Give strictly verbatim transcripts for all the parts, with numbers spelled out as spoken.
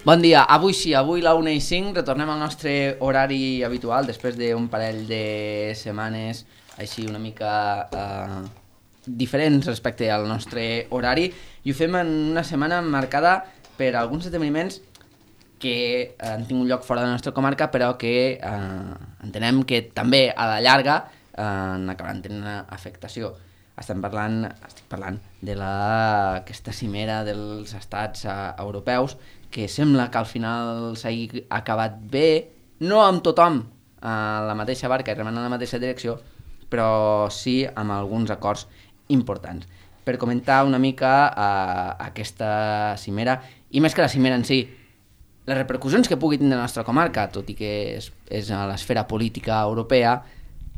Bon dia, avui sí, avui la una i cinc retornem al nostre horari habitual després d'un parell de setmanes així una mica eh, diferents respecte al nostre horari, i ho fem en una setmana marcada per alguns esdeveniments que han tingut lloc fora de la nostra comarca, però que eh, entenem que també a la llarga eh, acabaran tenint una afectació. Estem parlant, estic parlant de la, aquesta cimera dels estats uh, europeus, que sembla que al final s'hagi acabat bé, no amb tothom a la mateixa barca i remant en la mateixa direcció, però sí amb alguns acords importants. Per comentar una mica uh, aquesta cimera, i més que la cimera en si, les repercussions que pugui tindre la nostra comarca, tot i que és, és a l'esfera política europea,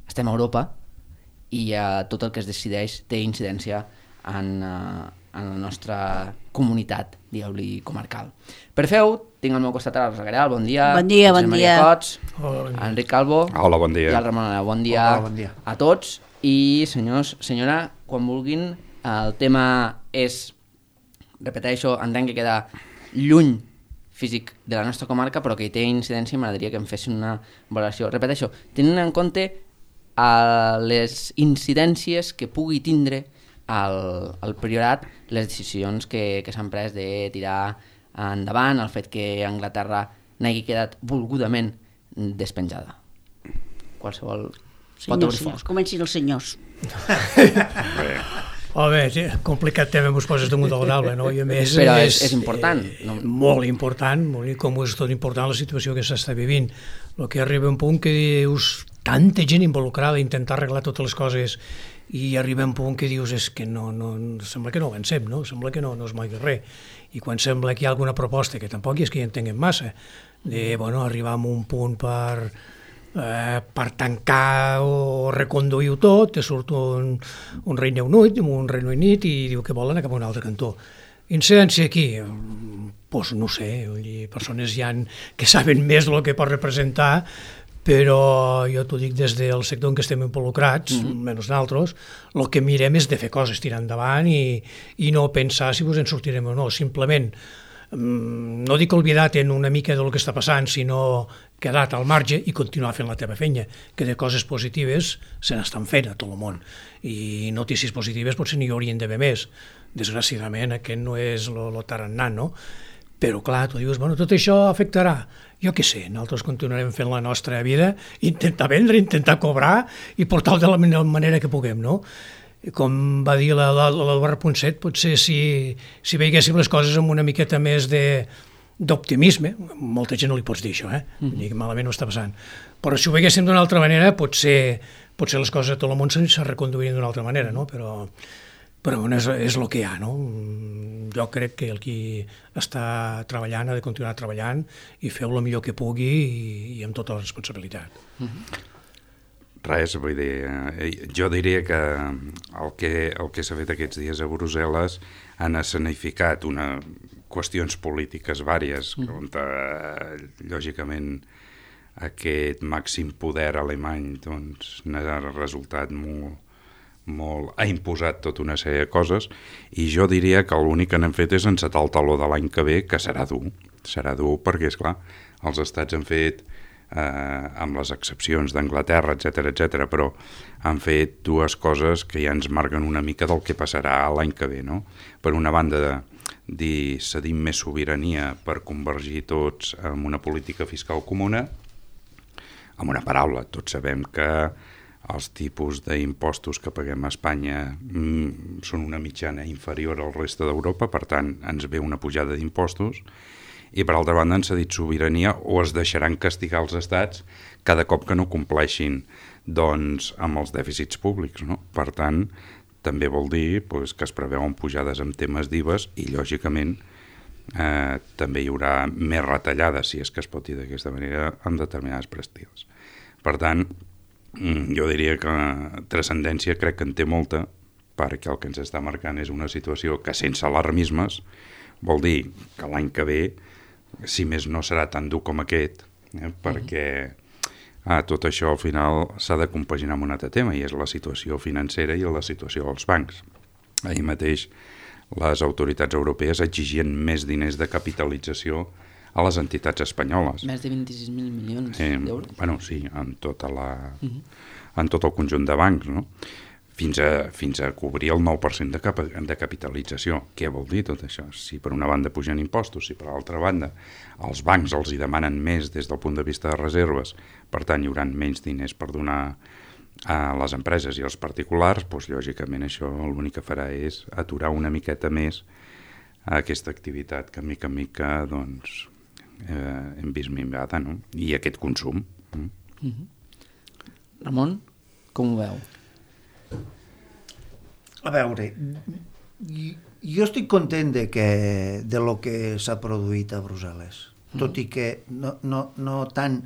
estem a Europa, i uh, tot el que es decideix té incidència en, uh, en la nostra comunitat, digueu-li, comarcal. Per fer-ho, tinc al meu costat a la Rosa Gareal, bon dia. Bon dia, bon Maria dia. Cots, Hola, bon dia. Enric Calvo. Hola, bon dia. I el Ramon Anna, bon dia, Hola, bon dia a tots. I senyors, senyora, quan vulguin, el tema és, repeteixo, entenc que queda lluny físic de la nostra comarca, però que hi té incidència i m'agradaria que em fessin una valoració. Repeteixo, tenint en compte a les incidències que pugui tindre al, al Priorat les decisions que, que s'han pres de tirar endavant, el fet que Anglaterra n'hagi quedat volgudament despenjada. Qualsevol pot Senyors, obrir senyors, foc. comencin els senyors. Home, sí, complicat tema mos poses damunt del taula, no? I a més Però és, és important. eh, No? molt important, molt, i com és tot important la situació que s'està vivint. El que arriba a un punt que dius, tanta gent involucrada a intentar arreglar totes les coses, i arriba a un punt que dius, és que no, no, sembla que no avancem, no? Sembla que no, no es mogui res. I quan sembla que hi ha alguna proposta, que tampoc és que hi entenguem massa, de, bueno, arribar a un punt per, eh, per tancar o reconduir-ho tot, te surt un, un Regne Unit, un Regne Unit i diu que volen cap a un altre cantó. Incidència aquí, doncs no sé, persones hi ha que saben més del que pot representar, però jo t'ho dic des del sector en què estem involucrats, mm-hmm. menys d'altres, el que mirem és de fer coses, tirar endavant i, i no pensar si vos en sortirem o no, simplement no dic oblidar-te una mica del que està passant, sinó quedar-te al marge i continuar fent la teva feina, que de coses positives se n'estan fent a tot el món, i notícies positives potser n'hi haurien d'haver més. Desgraciadament aquest no és el tarannà, no? Però clar, tu dius, bueno, tot això afectarà. Jo què sé, nosaltres continuarem fent la nostra vida, intentar vendre, intentar cobrar i portar-ho de la manera que puguem, no? Com va dir l'Eduard Ponset, potser si, si veiéssim les coses amb una miqueta més de d'optimisme, molta gent no li pots dir això, eh? Mm-hmm. Dir que malament ho està passant. Però si ho veiéssim d'una altra manera, potser, potser les coses a tot el món se reconduirien d'una altra manera, no? Però, però bueno, és, és el que hi ha, no? Jo crec que el qui està treballant ha de continuar treballant i feu el millor que pugui i, i amb tota la responsabilitat. Mm-hmm. Res, vull dir, jo diria que el que, el que s'ha fet aquests dies a Brussel·les han escenificat una, qüestions polítiques vàries, mm. on eh, lògicament aquest màxim poder alemany doncs, n'ha resultat molt, molt, ha imposat tota una sèrie de coses, i jo diria que l'únic que n'hem fet és encetar el taló de l'any que ve, que serà dur, serà dur perquè, esclar, els estats han fet Eh, amb les excepcions d'Anglaterra, etcètera, etcètera, però han fet dues coses que ja ens marquen una mica del que passarà l'any que ve, no? Per una banda, de dir cedim més sobirania per convergir tots en una política fiscal comuna. Amb una paraula, tots sabem que els tipus d'impostos que paguem a Espanya mm, són una mitjana inferior al reste d'Europa, per tant, ens ve una pujada d'impostos. I per altra banda han cedit sobirania o es deixaran castigar els estats cada cop que no compleixin doncs, amb els dèficits públics, no? Per tant, també vol dir pues, que es preveuen pujades en temes d'I V As i, lògicament, eh, també hi haurà més retallades, si és que es pot dir d'aquesta manera, en determinades prestils. Per tant, jo diria que transcendència crec que en té molta, perquè el que ens està marcant és una situació que, sense alarmismes, vol dir que l'any que ve, si més no serà tan dur com aquest, eh, perquè ah, tot això al final s'ha de compaginar amb un altre tema, i és la situació financera i la situació dels bancs. Ahir mateix les autoritats europees exigien més diners de capitalització a les entitats espanyoles. Més de vint-i-sis mil milions eh, d'euros. Bueno, sí, en, tota la, uh-huh. en tot el conjunt de bancs, no? Fins a, fins a cobrir el nou per cent de, cap, de capitalització. Què vol dir tot això? Si per una banda pugen impostos, si per l'altra banda els bancs els hi demanen més des del punt de vista de reserves, per tant hi haurà menys diners per donar a les empreses i als particulars, doncs lògicament això l'únic que farà és aturar una miqueta més aquesta activitat que mica en mica doncs, eh, hem vist minvada, no? I aquest consum. Mm. Mm-hmm. Ramon, com ho veu? A veure, jo estic content de, que, de lo que s'ha produït a Brussel·les, mm. tot i que no, no, no tant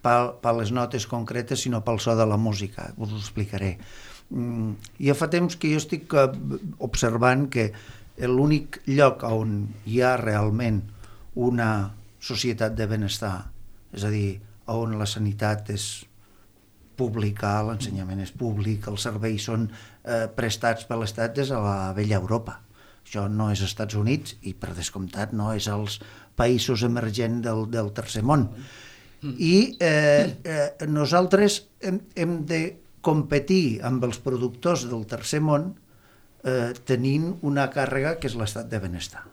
per les notes concretes, sinó pel so de la música, us ho explicaré. Mm, ja fa temps que jo estic observant que l'únic lloc on hi ha realment una societat de benestar, és a dir, on la sanitat és pública, l'ensenyament és públic, els serveis són eh, prestats per l'Estat des de la vella Europa. Això no és als Estats Units i, per descomptat, no és als països emergents del, del tercer món. I eh, eh, nosaltres hem, hem de competir amb els productors del tercer món eh, tenint una càrrega que és l'estat de benestar.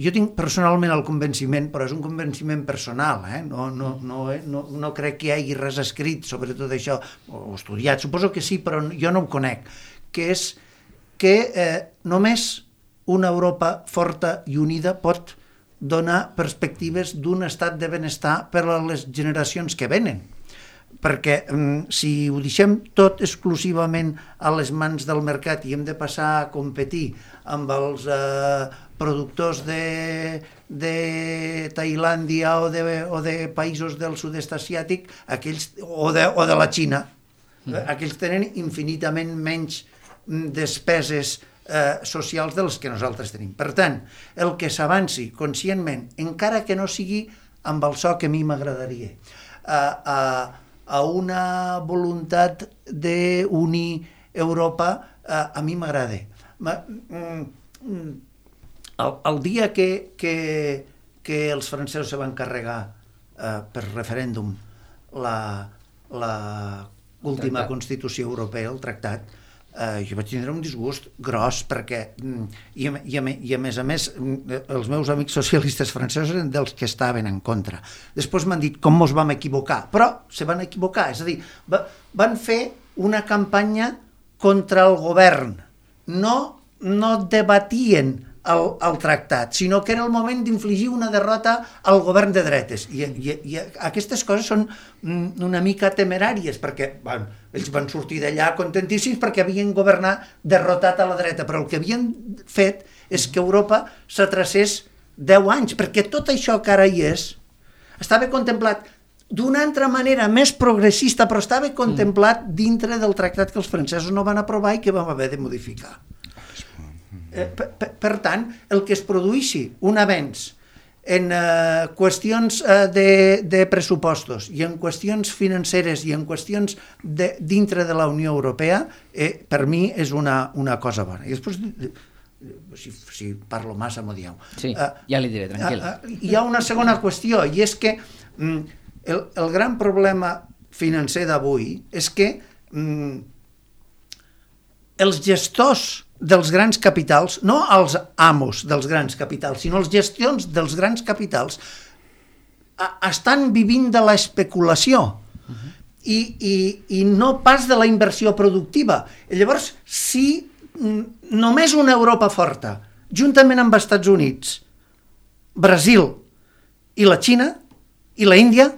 Jo tinc personalment el convenciment, però és un convenciment personal, eh? no, no, no, no, no crec que hi hagi res escrit sobre tot això, o estudiat, suposo que sí, però jo no ho conec, que és que eh, només una Europa forta i unida pot donar perspectives d'un estat de benestar per a les generacions que venen. Perquè mm, si ho deixem tot exclusivament a les mans del mercat i hem de passar a competir amb els eh, productors de, de Tailàndia o de, o de països del sud-est asiàtic, aquells, o, de, o de la Xina, mm. aquells tenen infinitament menys despeses eh, socials dels que nosaltres tenim. Per tant, el que s'avanci conscientment, encara que no sigui amb el so que a mi m'agradaria, a, a, a una voluntat d'unir Europa, a, a mi m'agrada. El, el dia que, que, que els francesos se van carregar eh, per referèndum la, la última Constitució Europea, el tractat, eh, jo vaig tindre un disgust gros perquè, i a, i, a, i a més a més, els meus amics socialistes francesos eren dels que estaven en contra. Després m'han dit com mos vam equivocar, però se van equivocar, és a dir, va, van fer una campanya contra el govern, no, no debatien el, el tractat, sinó que era el moment d'infligir una derrota al govern de dretes. I, i, i aquestes coses són una mica temeràries, perquè bueno, ells van sortir d'allà contentíssims perquè havien governat derrotat a la dreta, però el que havien fet és que Europa s'atracés deu anys, perquè tot això que ara hi és estava contemplat d'una altra manera més progressista, però estava contemplat dintre del tractat que els francesos no van aprovar i que vam haver de modificar. Eh, per, per, per tant, el que es produïssi un avenç en eh, qüestions eh, de, de pressupostos i en qüestions financeres i en qüestions de, dintre de la Unió Europea, eh, per mi és una, una cosa bona. I després, si, si parlo massa, m'ho dieu. Sí, uh, ja li diré, tranquil. Uh, uh, hi ha una segona qüestió, i és que mm, el, el gran problema financer d'avui és que mm, els gestors dels grans capitals, no els amos dels grans capitals, sinó els gestions dels grans capitals, a, estan vivint de l'especulació uh-huh. i, i, i no pas de la inversió productiva. I llavors, si mm, només una Europa forta, juntament amb els Estats Units, Brasil i la Xina i la Índia,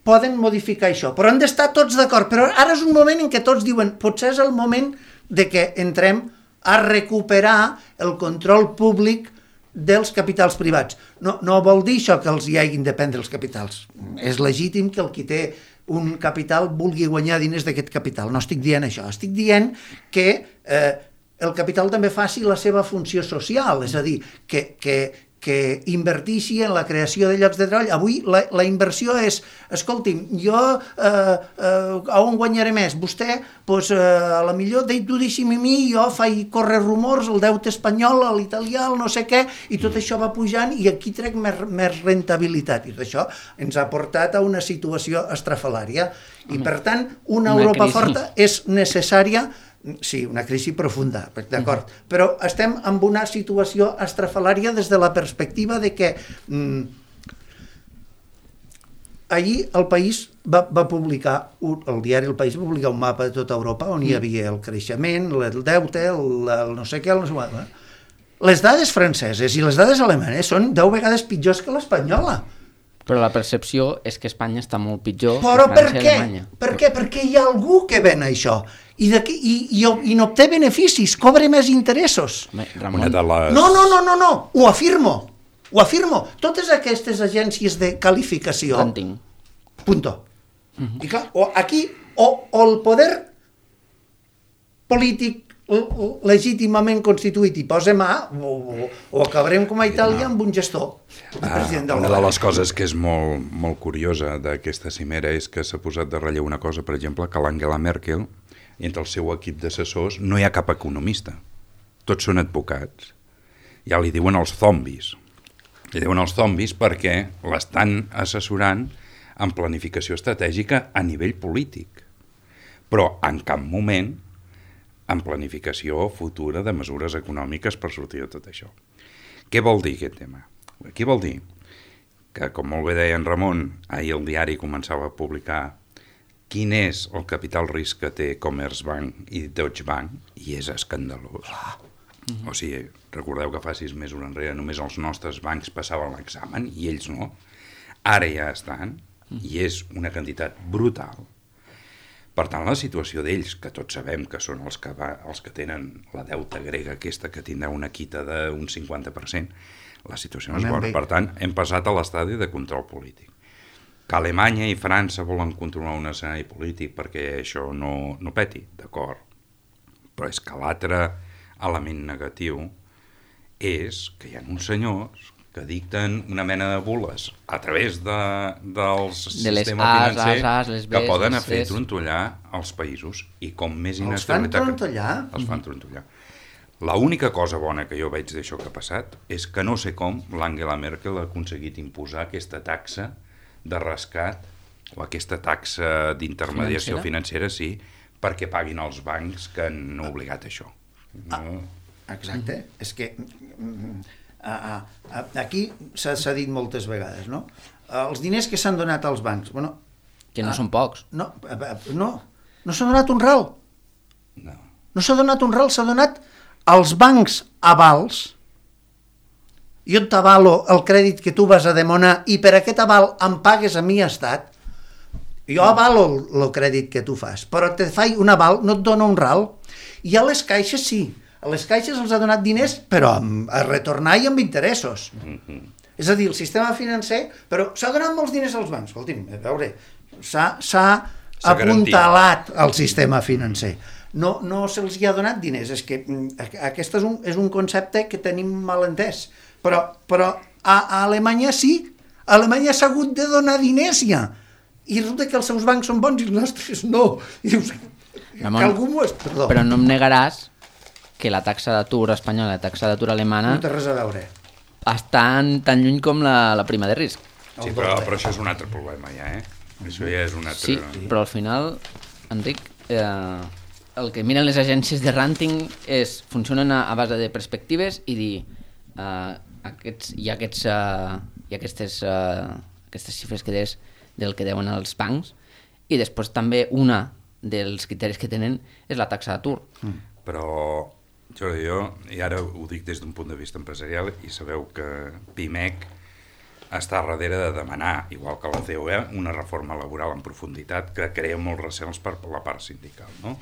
poden modificar això, però han d'estar tots d'acord. Però ara és un moment en què tots diuen potser és el moment de que entrem a recuperar el control públic dels capitals privats. No, no vol dir això que els hi hagin de prendre els capitals. És legítim que el qui té un capital vulgui guanyar diners d'aquest capital. No estic dient això. Estic dient que eh, el capital també faci la seva funció social, és a dir, que, que que invertissi en la creació de llocs de treball. Avui la, la inversió és, escolti'm, jo eh, eh, on guanyaré més? Vostè, doncs, eh, a la millor tu deixi'm a mi, jo faig córrer rumors, el deute espanyol, l'italià, el no sé què, i tot això va pujant i aquí trec més, més rentabilitat. I tot això ens ha portat a una situació estrafalària. I per tant, una, una Europa crisi. Forta és necessària. Sí, una crisi profunda, d'acord. Uh-huh. Però estem en una situació estrafalària des de la perspectiva de que mm, ahir el País va, va publicar, un, el diari El País va publicar un mapa de tota Europa on hi havia el creixement, el deute, el, el no sé què, el no sé què. Les dades franceses i les dades alemanes són deu vegades pitjors que l'espanyola. Però la percepció és que Espanya està molt pitjor Però que França per i què? Alemanya. Per què? Perquè hi ha algú que ven això i, i, i, i n'obté beneficis, cobra més interessos. Home, Ramon. Una de les... No, no, no, no, no, ho afirmo, ho afirmo. Totes aquestes agències de qualificació... Ranting. Punto. Uh-huh. I clar, o aquí, o, o el poder polític legítimament constituït i posa mà, o, o, o acabarem com a Itàlia amb un gestor. Ah, una de les coses que és molt, molt curiosa d'aquesta cimera és que s'ha posat de relleu una cosa, per exemple, que l'Angela Merkel, entre el seu equip d'assessors, no hi ha cap economista. Tots són advocats. Ja li diuen els zombis. Li diuen els zombis perquè l'estan assessorant en planificació estratègica a nivell polític. Però en cap moment en planificació futura de mesures econòmiques per sortir de tot això. Què vol dir aquest tema? Aquí vol dir que, com molt bé deia en Ramon, ahir el diari començava a publicar quin és el capital risc que té Commerzbank i Deutsche Bank, i és escandalós. Mm-hmm. O sigui, recordeu que fa sis mesos enrere només els nostres bancs passaven l'examen i ells no. Ara ja estan, i és una quantitat brutal. Per tant, la situació d'ells, que tots sabem que són els que, va, els que tenen la deuta grega aquesta, que tindrà una quita d'un cinquanta per cent, la situació no és bona. Per tant, hem passat a l'estadi de control polític. Que Alemanya i França volen controlar un escenari polític perquè això no, no peti, d'acord. Però és que l'altre element negatiu és que hi ha uns senyors que dicten una mena de bules a través de, del de sistema As, financer as, as, les que Bs, poden les fer Cs. trontollar els països i com més Els fan inestabilitat... trontollar? Els fan trontollar. L'única cosa bona que jo veig d'això que ha passat és que no sé com l'Angela Merkel ha aconseguit imposar aquesta taxa de rescat o aquesta taxa d'intermediació financera, sí, perquè paguin els bancs que han obligat a això. No? Ah, exacte. Mm-hmm. És que uh, uh, aquí s'ha dit moltes vegades, no? Uh, els diners que s'han donat als bancs, bueno... Que no uh, són pocs. No, uh, no, no s'ha donat un ral. No. No s'ha donat un ral, s'ha donat als bancs avals. Jo t'avalo el crèdit que tu vas a demanar i per aquest aval em pagues a mi estat. Jo avalo el, el crèdit que tu fas, però te faig un aval, no et dono un ral. I a les caixes sí, a les caixes els ha donat diners, però a retornar i amb interessos. Mm-hmm. És a dir, el sistema financer, però s'ha donat molts diners als bancs. Escolti'm, a veure, s'ha apuntalat el sistema financer. No, no se'ls hi ha donat diners, és que aquest és un, és un concepte que tenim mal entès. Però, però a, a Alemanya sí, a Alemanya s'ha hagut de donar diners ja. I resulta que els seus bancs són bons i els nostres no. I dius, Ramon, que algú m'ho és... Perdó. Però no em negaràs que la taxa d'atur espanyola i la taxa d'atur alemana no té res a veure. estan tan lluny com la, la prima de risc. Sí, però, però això és un altre problema ja, eh? Això ja és un altre... Sí, però al final, Enric, eh, el que miren les agències de ranting és, funcionen a, a base de perspectives i dir eh, aquests, hi ha, aquests, eh, hi ha aquestes, eh, aquestes xifres que des del que deuen els bancs i després també una dels criteris que tenen és la taxa d'atur. Mm. Però jo, jo, i ara ho dic des d'un punt de vista empresarial, i sabeu que Pimec està darrere de demanar, igual que la C O E, una reforma laboral en profunditat que crea molts recels per la part sindical, no?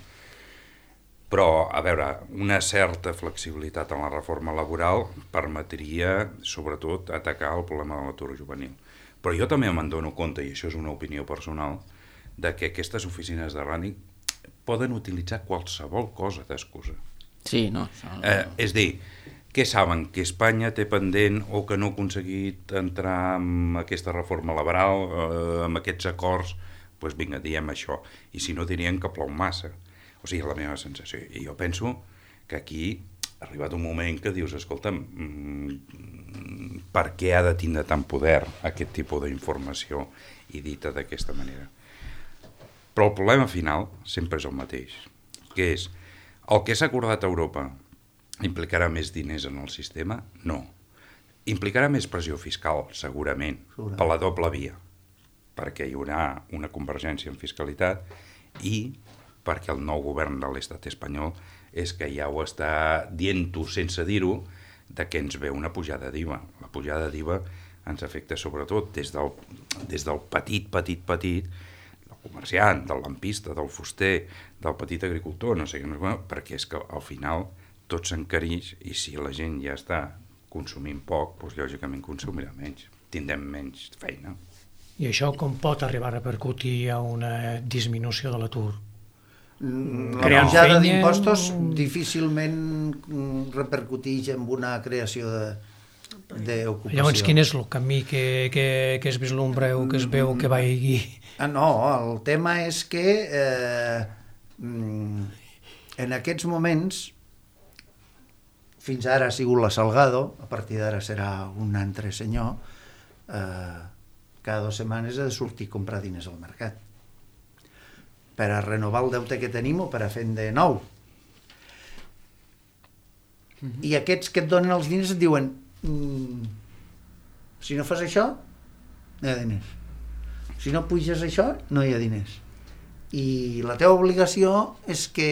Però, a veure, una certa flexibilitat en la reforma laboral permetria, sobretot, atacar el problema de l'atur juvenil. Però jo també me'n dono compte, i això és una opinió personal, de que aquestes oficines de ranting poden utilitzar qualsevol cosa d'excusa. Sí, no. Això... Eh, és dir, què saben? Que Espanya té pendent o que no ha aconseguit entrar en aquesta reforma laboral, eh, amb aquests acords, doncs vinga, diem això. I si no, dirien que plou massa. O sigui, la meva sensació. I jo penso que aquí ha arribat un moment que dius, escolta'm, mmm, per què ha de tindre tant poder aquest tipus d'informació i dita d'aquesta manera? Però el problema final sempre és el mateix, que és el que s'ha acordat a Europa implicarà més diners en el sistema? No. Implicarà més pressió fiscal, segurament, segurament, per la doble via, perquè hi haurà una convergència en fiscalitat i perquè el nou govern de l'estat espanyol és que ja ho està dient-ho sense dir-ho, de que ens ve una pujada d'I V A. La pujada d'I V A ens afecta sobretot des del, des del petit, petit, petit, del comerciant, del lampista, del fuster, del petit agricultor, no sé què, perquè és que al final tot s'encareix i si la gent ja està consumint poc, doncs lògicament consumirà menys, tindrem menys feina. I això com pot arribar a repercutir a una disminució de l'atur? La pujada d'impostos difícilment repercuteix en una creació d'ocupació. Llavors, quin és el camí que, que, que es vislumbreu, que es veu que vagi? Ah, no, el tema és que eh, en aquests moments fins ara ha sigut la Salgado, a partir d'ara serà un altre senyor, eh, cada dues setmanes ha de sortir a comprar diners al mercat per a renovar el deute que tenim o per a fer de nou. Mm-hmm. I aquests que et donen els diners et diuen mm, si no fas això, no hi ha diners. Si no puges això, no hi ha diners. I la teva obligació és que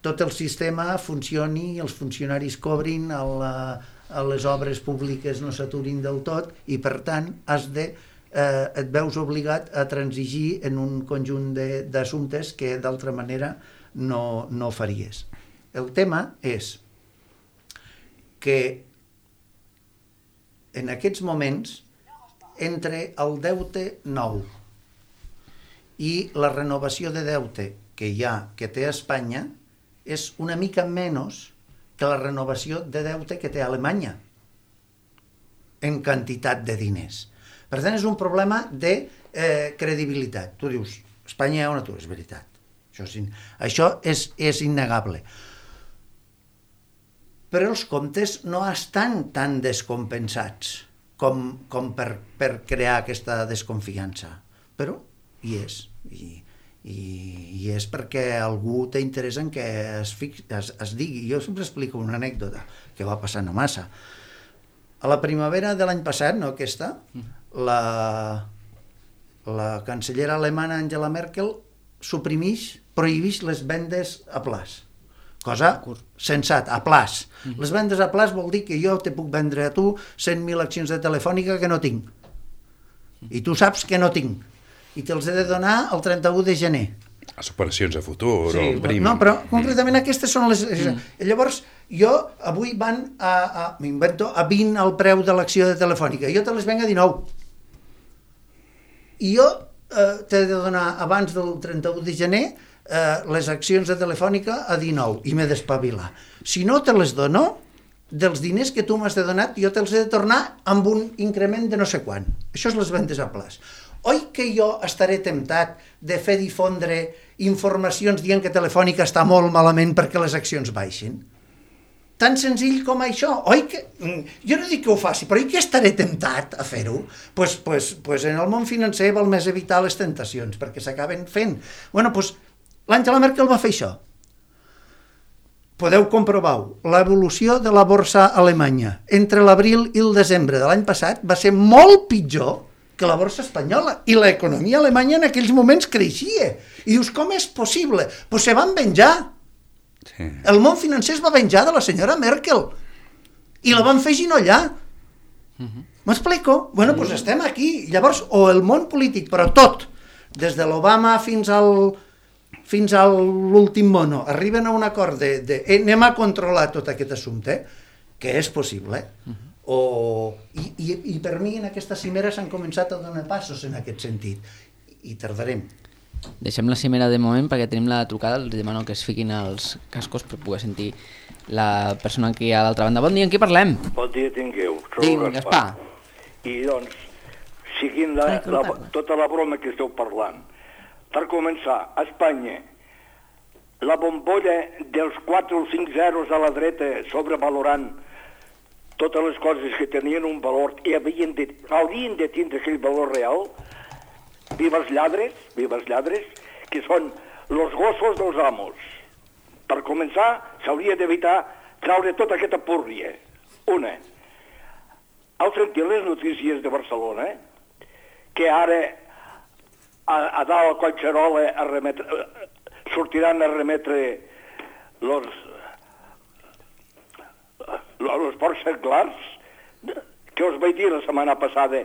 tot el sistema funcioni, els funcionaris cobrin, a, la, a les obres públiques no s'aturin del tot i per tant has de, eh, et veus obligat a transigir en un conjunt d'assumptes que d'altra manera no, no faries. El tema és que en aquests moments entre el deute nou i la renovació de deute que hi ha, que té Espanya, és una mica menys que la renovació de deute que té Alemanya en quantitat de diners. Per tant, és un problema de eh, credibilitat. Tu dius, Espanya hi ha un atur, és veritat. Això és, in... Això és, és innegable. Però els comptes no estan tan descompensats com, com per, per crear aquesta desconfiança. Però hi és. I, i, i és perquè algú té interès en què es, fix, es, es digui. Jo sempre explico una anècdota que va passar no massa. A la primavera de l'any passat, no aquesta, la, la cancellera alemana Angela Merkel suprimeix, prohibeix les vendes a plaç. Cosa sensat, a plaç. Les vendes a plaç vol dir que jo te puc vendre a tu cent mil accions de Telefònica que no tinc. I tu saps que no tinc. I te'ls he de donar el trenta-u de gener. Les operacions a futur, sí, o el prim. No, però concretament aquestes són les... Mm. Llavors, jo avui van a, a m'invento, a vint el preu de l'acció de Telefònica. Jo te les venc a dinou. I jo eh, t'he de donar abans del trenta-u de gener eh, les accions de Telefònica a dinou i m'he d'espavilar. Si no te les dono, dels diners que tu m'has de donat, jo te'ls he de tornar amb un increment de no sé quant. Això és les vendes a plaç. Oi que jo estaré temptat de fer difondre informacions dient que Telefònica està molt malament perquè les accions baixin? Tan senzill com això. Oi que... Jo no dic que ho faci, però oi que estaré temptat a fer-ho? Pues, pues, pues en el món financer val més evitar les tentacions, perquè s'acaben fent. Bueno, pues l'Angela Merkel va fer això. Podeu comprovar-ho. L'evolució de la borsa alemanya entre l'abril i el desembre de l'any passat va ser molt pitjor que la borsa espanyola, i l'economia alemanya en aquells moments creixia. I dius, com és possible? Doncs pues se van venjar. Sí. El món financer es va venjar de la senyora Merkel. I la van fer ginollar. Uh-huh. M'explico? Bueno, doncs pues estem aquí. Llavors, o el món polític, però tot, des de l'Obama fins al fins a l'últim mono, arriben a un acord de, de eh, anem a controlar tot aquest assumpte, que és possible, uh-huh. O, i, i, i per mi en aquesta cimera s'han començat a donar passos en aquest sentit i tardarem. deixem la cimera de moment perquè tenim la trucada, els demano que es fiquin els cascos per poder sentir la persona que hi ha a l'altra banda. Bon dia, amb qui parlem? Bon dia tingueu. Digui'm, Gaspar. I doncs, seguint la, la, tota la broma que esteu parlant, per començar, a Espanya, la bombolla dels quatre o cinc zeros a la dreta sobrevalorant totes les coses que tenien un valor i havien de, haurien de tindre aquell valor real, viva els lladres, viva els lladres, que són els gossos dels amos. Per començar, s'hauria d'evitar traure tota aquesta púrria. Una. Heu sentit les notícies de Barcelona, que ara a, a dalt a Collserola a remetre, sortiran a remetre los, los porcs seglars, que us vaig dir la setmana passada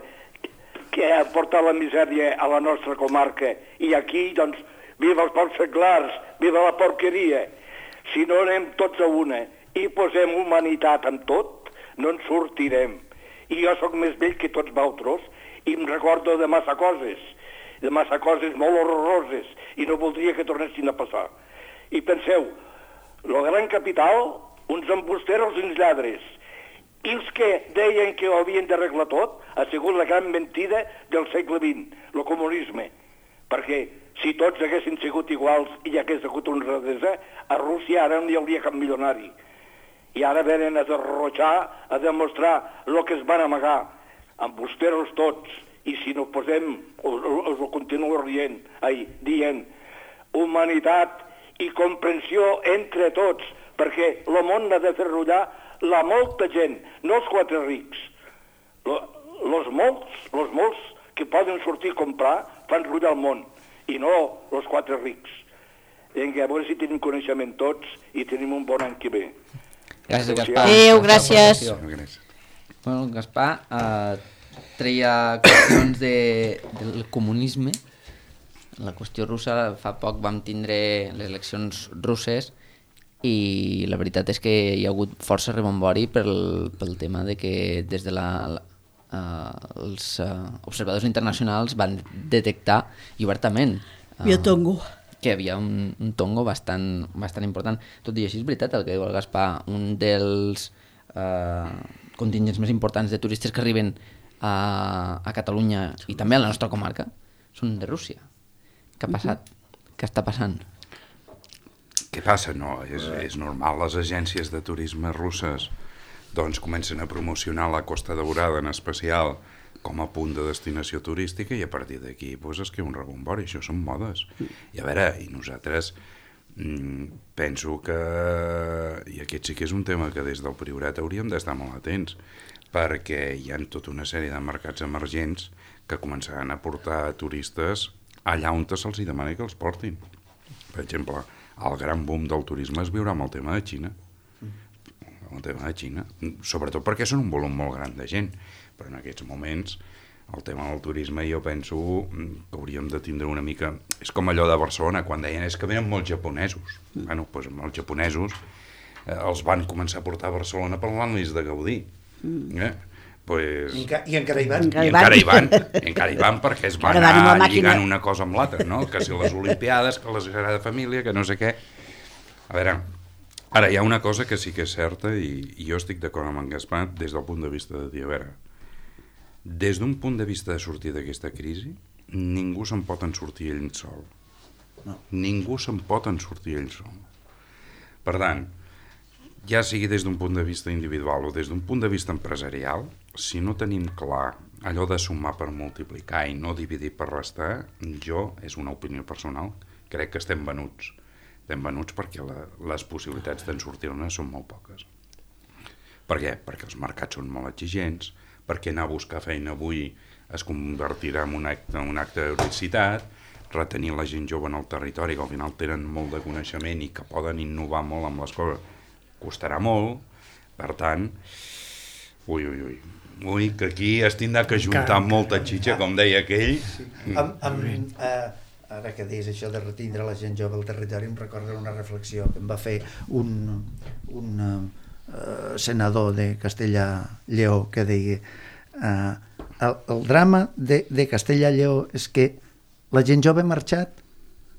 que ha portat la misèria a la nostra comarca, i aquí, doncs, viva els porcs seglars, viva la porqueria. Si no anem tots a una i posem humanitat en tot, no en sortirem. I jo sóc més vell que tots vosaltres i em recordo de massa coses, de massa coses molt horroroses, i no voldria que tornessin a passar. I penseu, la gran capital, uns embusteros i uns lladres, i els que deien que ho havien d'arreglar tot, ha sigut la gran mentida del segle vint, el comunisme. Perquè si tots haguessin sigut iguals i hi hagués hagut honradesa, a Rússia ara no hi hauria cap milionari. I ara venen a derrochar, a demostrar el que es van amagar. Embusteros tots. I si no posem, us, us ho continuo rient, ai, dient, humanitat i comprensió entre tots, perquè el món ha de fer rullar la molta gent, no els quatre rics. Els molts, los molts que poden sortir a comprar fan rullar el món, i no els quatre rics. Vinga, a veure si tenim coneixement tots i tenim un bon any que ve. Gràcies, Gaspar. Adéu, gràcies. Bueno, Gaspar eh, treia qüestions de, del comunisme. La qüestió russa, fa poc vam tindre les eleccions russes i la veritat és que hi ha hagut força rebombori pel, pel tema de que des de la, la Uh, els uh, observadors internacionals van detectar i obertament uh, tongo. que hi havia un, un tongo bastant, bastant important. Tot i així és veritat el que diu el Gaspar, un dels uh, contingents més importants de turistes que arriben a, a Catalunya i també a la nostra comarca són de Rússia. Què ha passat? Uh-huh. Què està passant? Què passa? No, és, és normal. Les agències de turisme russes doncs comencen a promocionar la Costa Daurada en especial com a punt de destinació turística i a partir d'aquí doncs, es queda un rebombori, això són modes. I a veure, i nosaltres mm, penso que, i aquest sí que és un tema que des del Priorat hauríem d'estar molt atents, perquè hi ha tota una sèrie de mercats emergents que començaran a portar turistes allà on se'ls demana que els portin. Per exemple, el gran boom del turisme es viurà amb el tema de Xina, el tema de Xina, sobretot perquè són un volum molt gran de gent, però en aquests moments el tema del turisme jo penso que hauríem de tindre una mica... És com allò de Barcelona, quan deien és que venen molts japonesos. Mm. Bueno, doncs els japonesos eh, els van començar a portar a Barcelona parlant-los de Gaudí. Mm. Eh? Pues... I, enca I encara hi van. I encara hi van, i encara hi van perquè es van anar lligant una cosa amb l'altra, no? Que si les Olimpiades, que la Sagrada Família, que no sé què... A veure... Ara, hi ha una cosa que sí que és certa i, i jo estic d'acord amb en Gaspar des del punt de vista de dir, a veure, des d'un punt de vista de sortir d'aquesta crisi, ningú se'n pot en sortir ell sol. No. Ningú se'n pot en sortir ell sol. Per tant, ja sigui des d'un punt de vista individual o des d'un punt de vista empresarial, si no tenim clar allò de sumar per multiplicar i no dividir per restar, jo, és una opinió personal, crec que estem venuts. Estem venuts perquè la, les possibilitats d'en sortir-ne són molt poques. Per què? Perquè els mercats són molt exigents, perquè anar a buscar feina avui es convertirà en un acte, un acte d'heroïcitat, retenir la gent jove en el territori, que al final tenen molt de coneixement i que poden innovar molt amb les coses, costarà molt. Per tant, ui, ui, ui, ui, que aquí es tindrà que juntar molta xitxa, com deia aquell. Sí. Amb, amb, eh, ara que deies això de retindre la gent jove al territori, em recorda una reflexió que em va fer un, un uh, senador de Castella-Lleó que deia uh, el, el drama de, de Castella-Lleó és que la gent jove ha marxat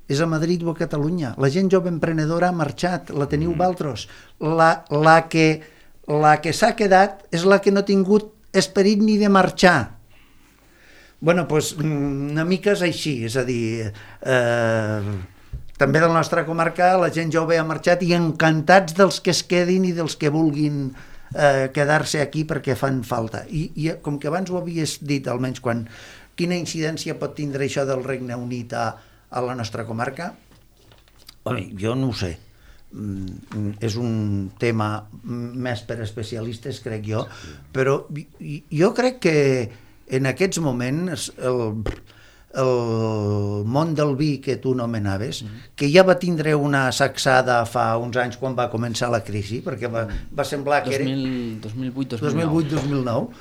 és a Madrid o a Catalunya. La gent jove emprenedora ha marxat, la teniu vosaltres. La, la que, la que s'ha quedat és la que no ha tingut esperit ni de marxar. Bueno, doncs una mica és així, és a dir, eh, també de la nostra comarca la gent jove ha marxat i encantats dels que es quedin i dels que vulguin eh, quedar-se aquí perquè fan falta. I, I com que abans ho havies dit, almenys quan, quina incidència pot tindre això del Regne Unit a, a la nostra comarca? Bé, jo no ho sé. Mm, és un tema més per especialistes, crec jo, però jo crec que en aquests moments el, el món del vi que tu nomenaves, que ja va tindre una sacsada fa uns anys quan va començar la crisi, perquè va, va semblar que era... dos mil vuit dos mil nou. dos mil nou.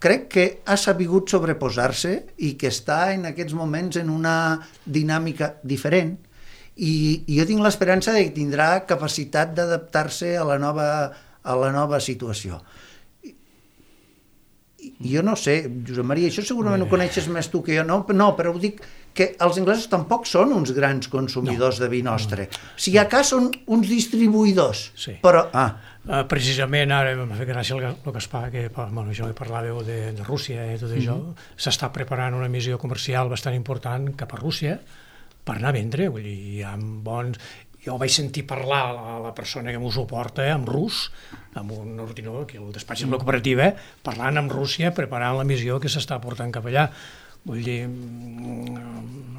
Crec que ha sabut sobreposar-se i que està en aquests moments en una dinàmica diferent i, i jo tinc l'esperança de que tindrà capacitat d'adaptar-se a la nova, a la nova situació. I jo no sé, Josep Maria, això segurament ho coneixes més tu que jo, no, no però ho dic que els anglesos tampoc són uns grans consumidors no, de vi nostre. No. Si acá són uns distribuïdors, sí. Però... Ah. Uh, precisament ara m'ha fet gràcia el, el Gaspar, que bueno, això que parlàveu de, de Rússia i tot això, mm-hmm. s'està preparant una missió comercial bastant important cap a Rússia per anar a vendre, vull dir, hi ha bons... Jo vaig sentir parlar a la persona que m'ho suporta en rus, amb un ordinador, que el despatx de la cooperativa, parlant amb Rússia, preparant la missió que s'està portant cap allà. Vull dir,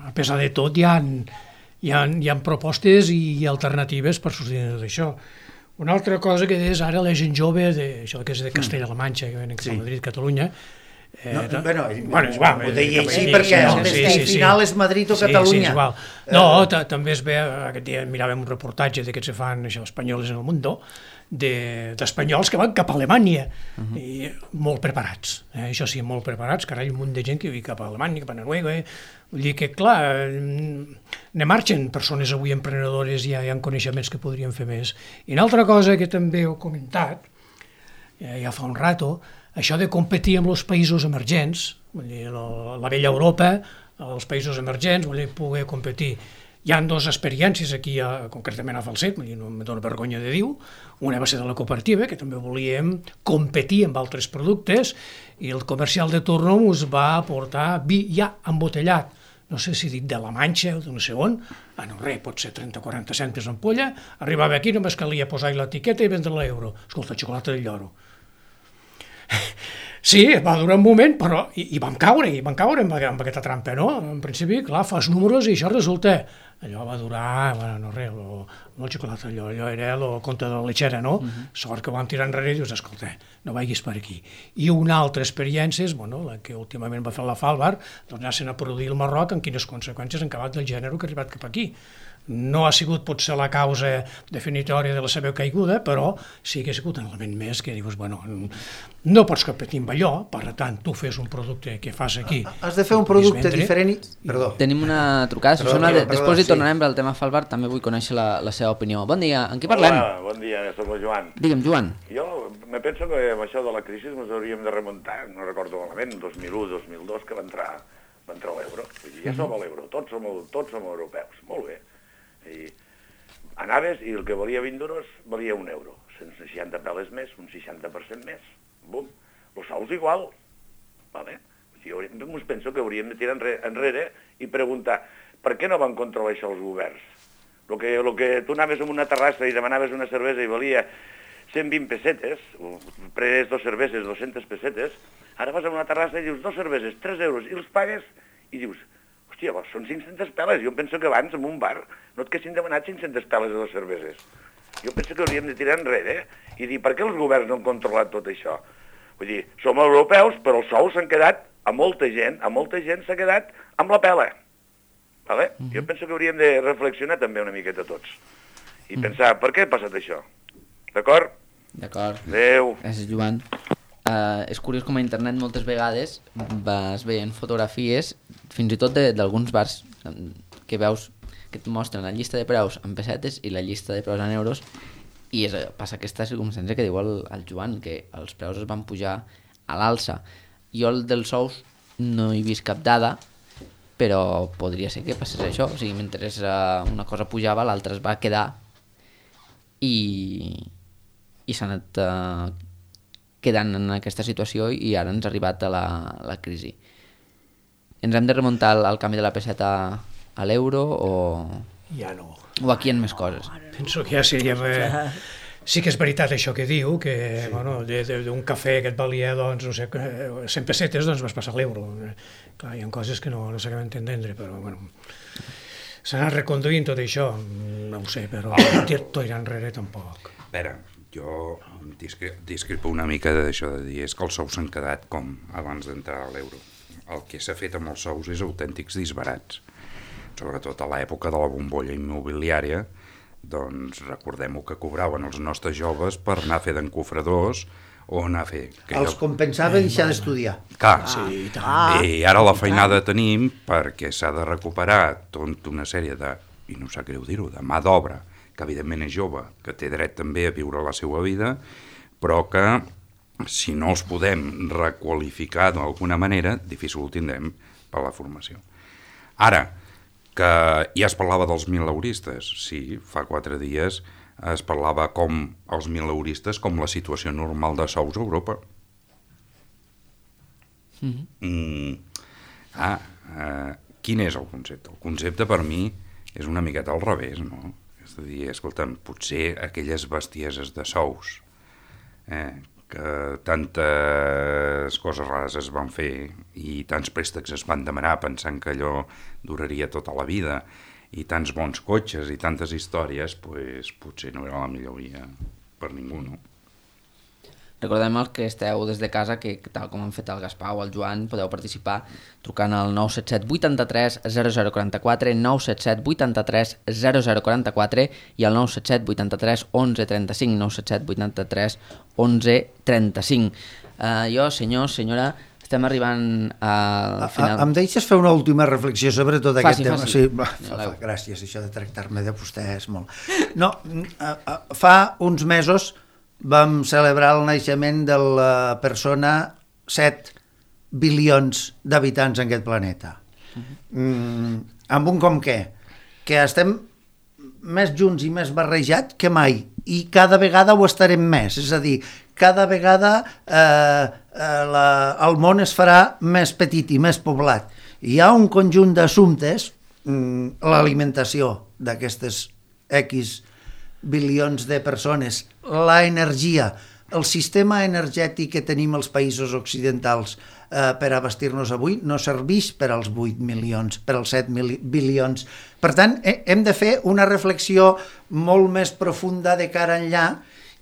a pesar de tot, hi ha, hi ha, hi ha propostes i alternatives per sortir d'això. Una altra cosa que és ara la gent jove, de, això que és de Castella-La Manxa, que venen cap a Madrid, Catalunya, Eh, no, bueno, bueno, és igual, ho deia així sí, perquè sí, el sí, destí sí, final és Madrid o Catalunya. Sí, sí, és igual. No, també es ve, aquest dia miràvem un reportatge d'aquests que fan això, espanyols en el món, d'espanyols que van cap a Alemanya, uh-huh. i molt preparats, eh? Això sí, molt preparats, carai, un munt de gent que viu cap a Alemanya, cap a Noruega, eh? Vull dir que, clar, ne marxen persones avui emprenedores i ja hi ha coneixements que podrien fer més. I una altra cosa que també heu comentat, ja fa un rato, això de competir amb els països emergents, vull dir, la, la vella Europa, els països emergents, vull dir, poder competir. Hi ha dues experiències aquí, a, concretament a Falset, vull dir, no em dóna vergonya de dir, una va ser de la cooperativa, que també volíem competir amb altres productes, i el comercial de torno ens va aportar vi ja embotellat, no sé si dit de la Manxa o de no sé on, ah, no res, pot ser trenta o quaranta cèntims ampolla, arribava aquí, només calia posar l'etiqueta i vendre l'euro. Escolta, xocolata del lloro. Sí, va durar un moment, però i, i vam caure, i vam caure amb, amb aquesta trampa, no? En principi, clar, fas números i això resulta... Allò va durar, bueno, no res, lo, no el xocolata, allò, allò era el conte de la lechera, no? Uh-huh. Sort que ho vam tirar enrere i dius, escolta, no vagis per aquí. I una altra experiència és, bueno, la que últimament va fer la Falbar, doncs anar-se'n a produir el Marroc amb quines conseqüències han acabat del gènere que ha arribat cap aquí. No ha sigut potser la causa definitòria de la seva caiguda, però sí que ha sigut un element més que dius, bueno, no pots competir amb allò, per tant, tu fes un producte que fas aquí. Has de fer un producte diferent i... Perdó. Tenim una trucada, si sona, de, després hi tornarem sí. Al tema Falbar, també vull conèixer la, la seva opinió. Bon dia, en qui parlem? Hola, bon dia, soc el Joan. Digue'm, Joan. Jo me penso que amb això de la crisi ens hauríem de remuntar, no recordo malament, dos mil u dos mil dos, que va entrar, va entrar l'euro. Ja som a l'euro, tots som, tots som europeus, molt bé. I anaves i el que valia vint duros valia un euro, cent seixanta peles més, un seixanta per cent més, bum, els sous igual, vale? Jo us penso que hauríem de tirar enrere i preguntar per què no van controlar això els governs? El que, el que tu anaves a una terrassa i demanaves una cervesa i valia cent vint pessetes, pres dos cerveses, dues-centes pessetes, ara vas a una terrassa i dius dos cerveses, tres euros, i els pagues i dius, hòstia, són cinc-centes peles. Jo penso que abans, en un bar, no et haguessin demanat cinc-centes peles de les cerveses. Jo penso que hauríem de tirar enrere eh? i dir, per què els governs no han controlat tot això? Vull dir, som europeus, però els sous s'han quedat, a molta gent, a molta gent s'ha quedat amb la pela. Vale? Mm-hmm. Jo penso que hauríem de reflexionar també una miqueta tots. I mm-hmm. pensar, per què ha passat això? D'acord? D'acord. Adéu. Gràcies, Joan. Uh, és curiós com a internet moltes vegades vas veient fotografies fins i tot d'alguns bars que veus que et mostren la llista de preus en pessetes i la llista de preus en euros i és, passa aquesta circumstància que diu el, el Joan, que els preus es van pujar a l'alça. Jo el dels sous no he vist cap dada, però podria ser que passés això, o sigui, mentre una cosa pujava l'altra es va quedar i, i s'ha anat uh, quedant en aquesta situació i ara ens ha arribat a la, la crisi. Ens hem de remuntar al, al canvi de la peseta a l'euro o... Ja no. O aquí hi ha més coses? Penso que ja seria... Eh, sí que és veritat això que diu, que sí. Bueno, d'un cafè que et valia, doncs, no sé, cent pessetes, doncs vas passar l'euro. Clar, hi ha coses que no, no s'acaben d'entendre, però, bueno... S'ha anat reconduint tot això, no ho sé, però tirar enrere tampoc. A veure, jo discre discrepo una mica d'això de dir, és que els sous s'han quedat com abans d'entrar a l'euro. El que s'ha fet amb els sous és autèntics disbarats. Sobretot a l'època de la bombolla immobiliària, doncs recordem-ho que cobraven els nostres joves per anar a fer d'encofradors o anar a fer... Els compensava deixar d'estudiar. Clar, sí, ah, i ara la feinada tenim perquè s'ha de recuperar tota una sèrie de, i no sap greu dir-ho, de mà d'obra, que evidentment és jove, que té dret també a viure la seva vida, però que si no els podem requalificar d'alguna manera, difícil ho tindrem per la formació. Ara, que ja es parlava dels mileuristes, sí, fa quatre dies es parlava com els mileuristes com la situació normal de sous a Europa. Mm-hmm. mm, ah, eh, quin és el concepte? El concepte per mi és una miqueta al revés, no? És a dir, escolta'm, potser aquelles bestieses de sous, eh, que tantes coses rares es van fer i tants préstecs es van demanar pensant que allò duraria tota la vida i tants bons cotxes i tantes històries, pues, potser no era la millor via per ningú, no? Recordem els que esteu des de casa que, tal com han fet el Gaspar o el Joan, podeu participar trucant al nou set set vuitanta-tres zero zero quaranta-quatre, nou set set vuitanta-tres zero zero quaranta-quatre i al nou set set vuitanta-tres onze trenta-cinc, nou set set vuitanta-tres onze trenta-cinc. Uh, jo, senyor, senyora, estem arribant al final... A, em deixes fer una última reflexió sobre tot faci, aquest tema? Faci. Sí, fa, fa, gràcies, això de tractar-me de vostè és molt... No, fa uns mesos vam celebrar el naixement de la persona set bilions d'habitants en aquest planeta. Mm, amb un com què? Que estem més junts i més barrejats que mai, i cada vegada ho estarem més, és a dir, cada vegada eh, eh, la, el món es farà més petit i més poblat. Hi ha un conjunt d'assumptes, mm, l'alimentació d'aquestes X bilions de persones, la energia, el sistema energètic que tenim els països occidentals eh, per abastir-nos avui no serveix per als vuit milions, per als set bilions. Per tant, eh, hem de fer una reflexió molt més profunda de cara enllà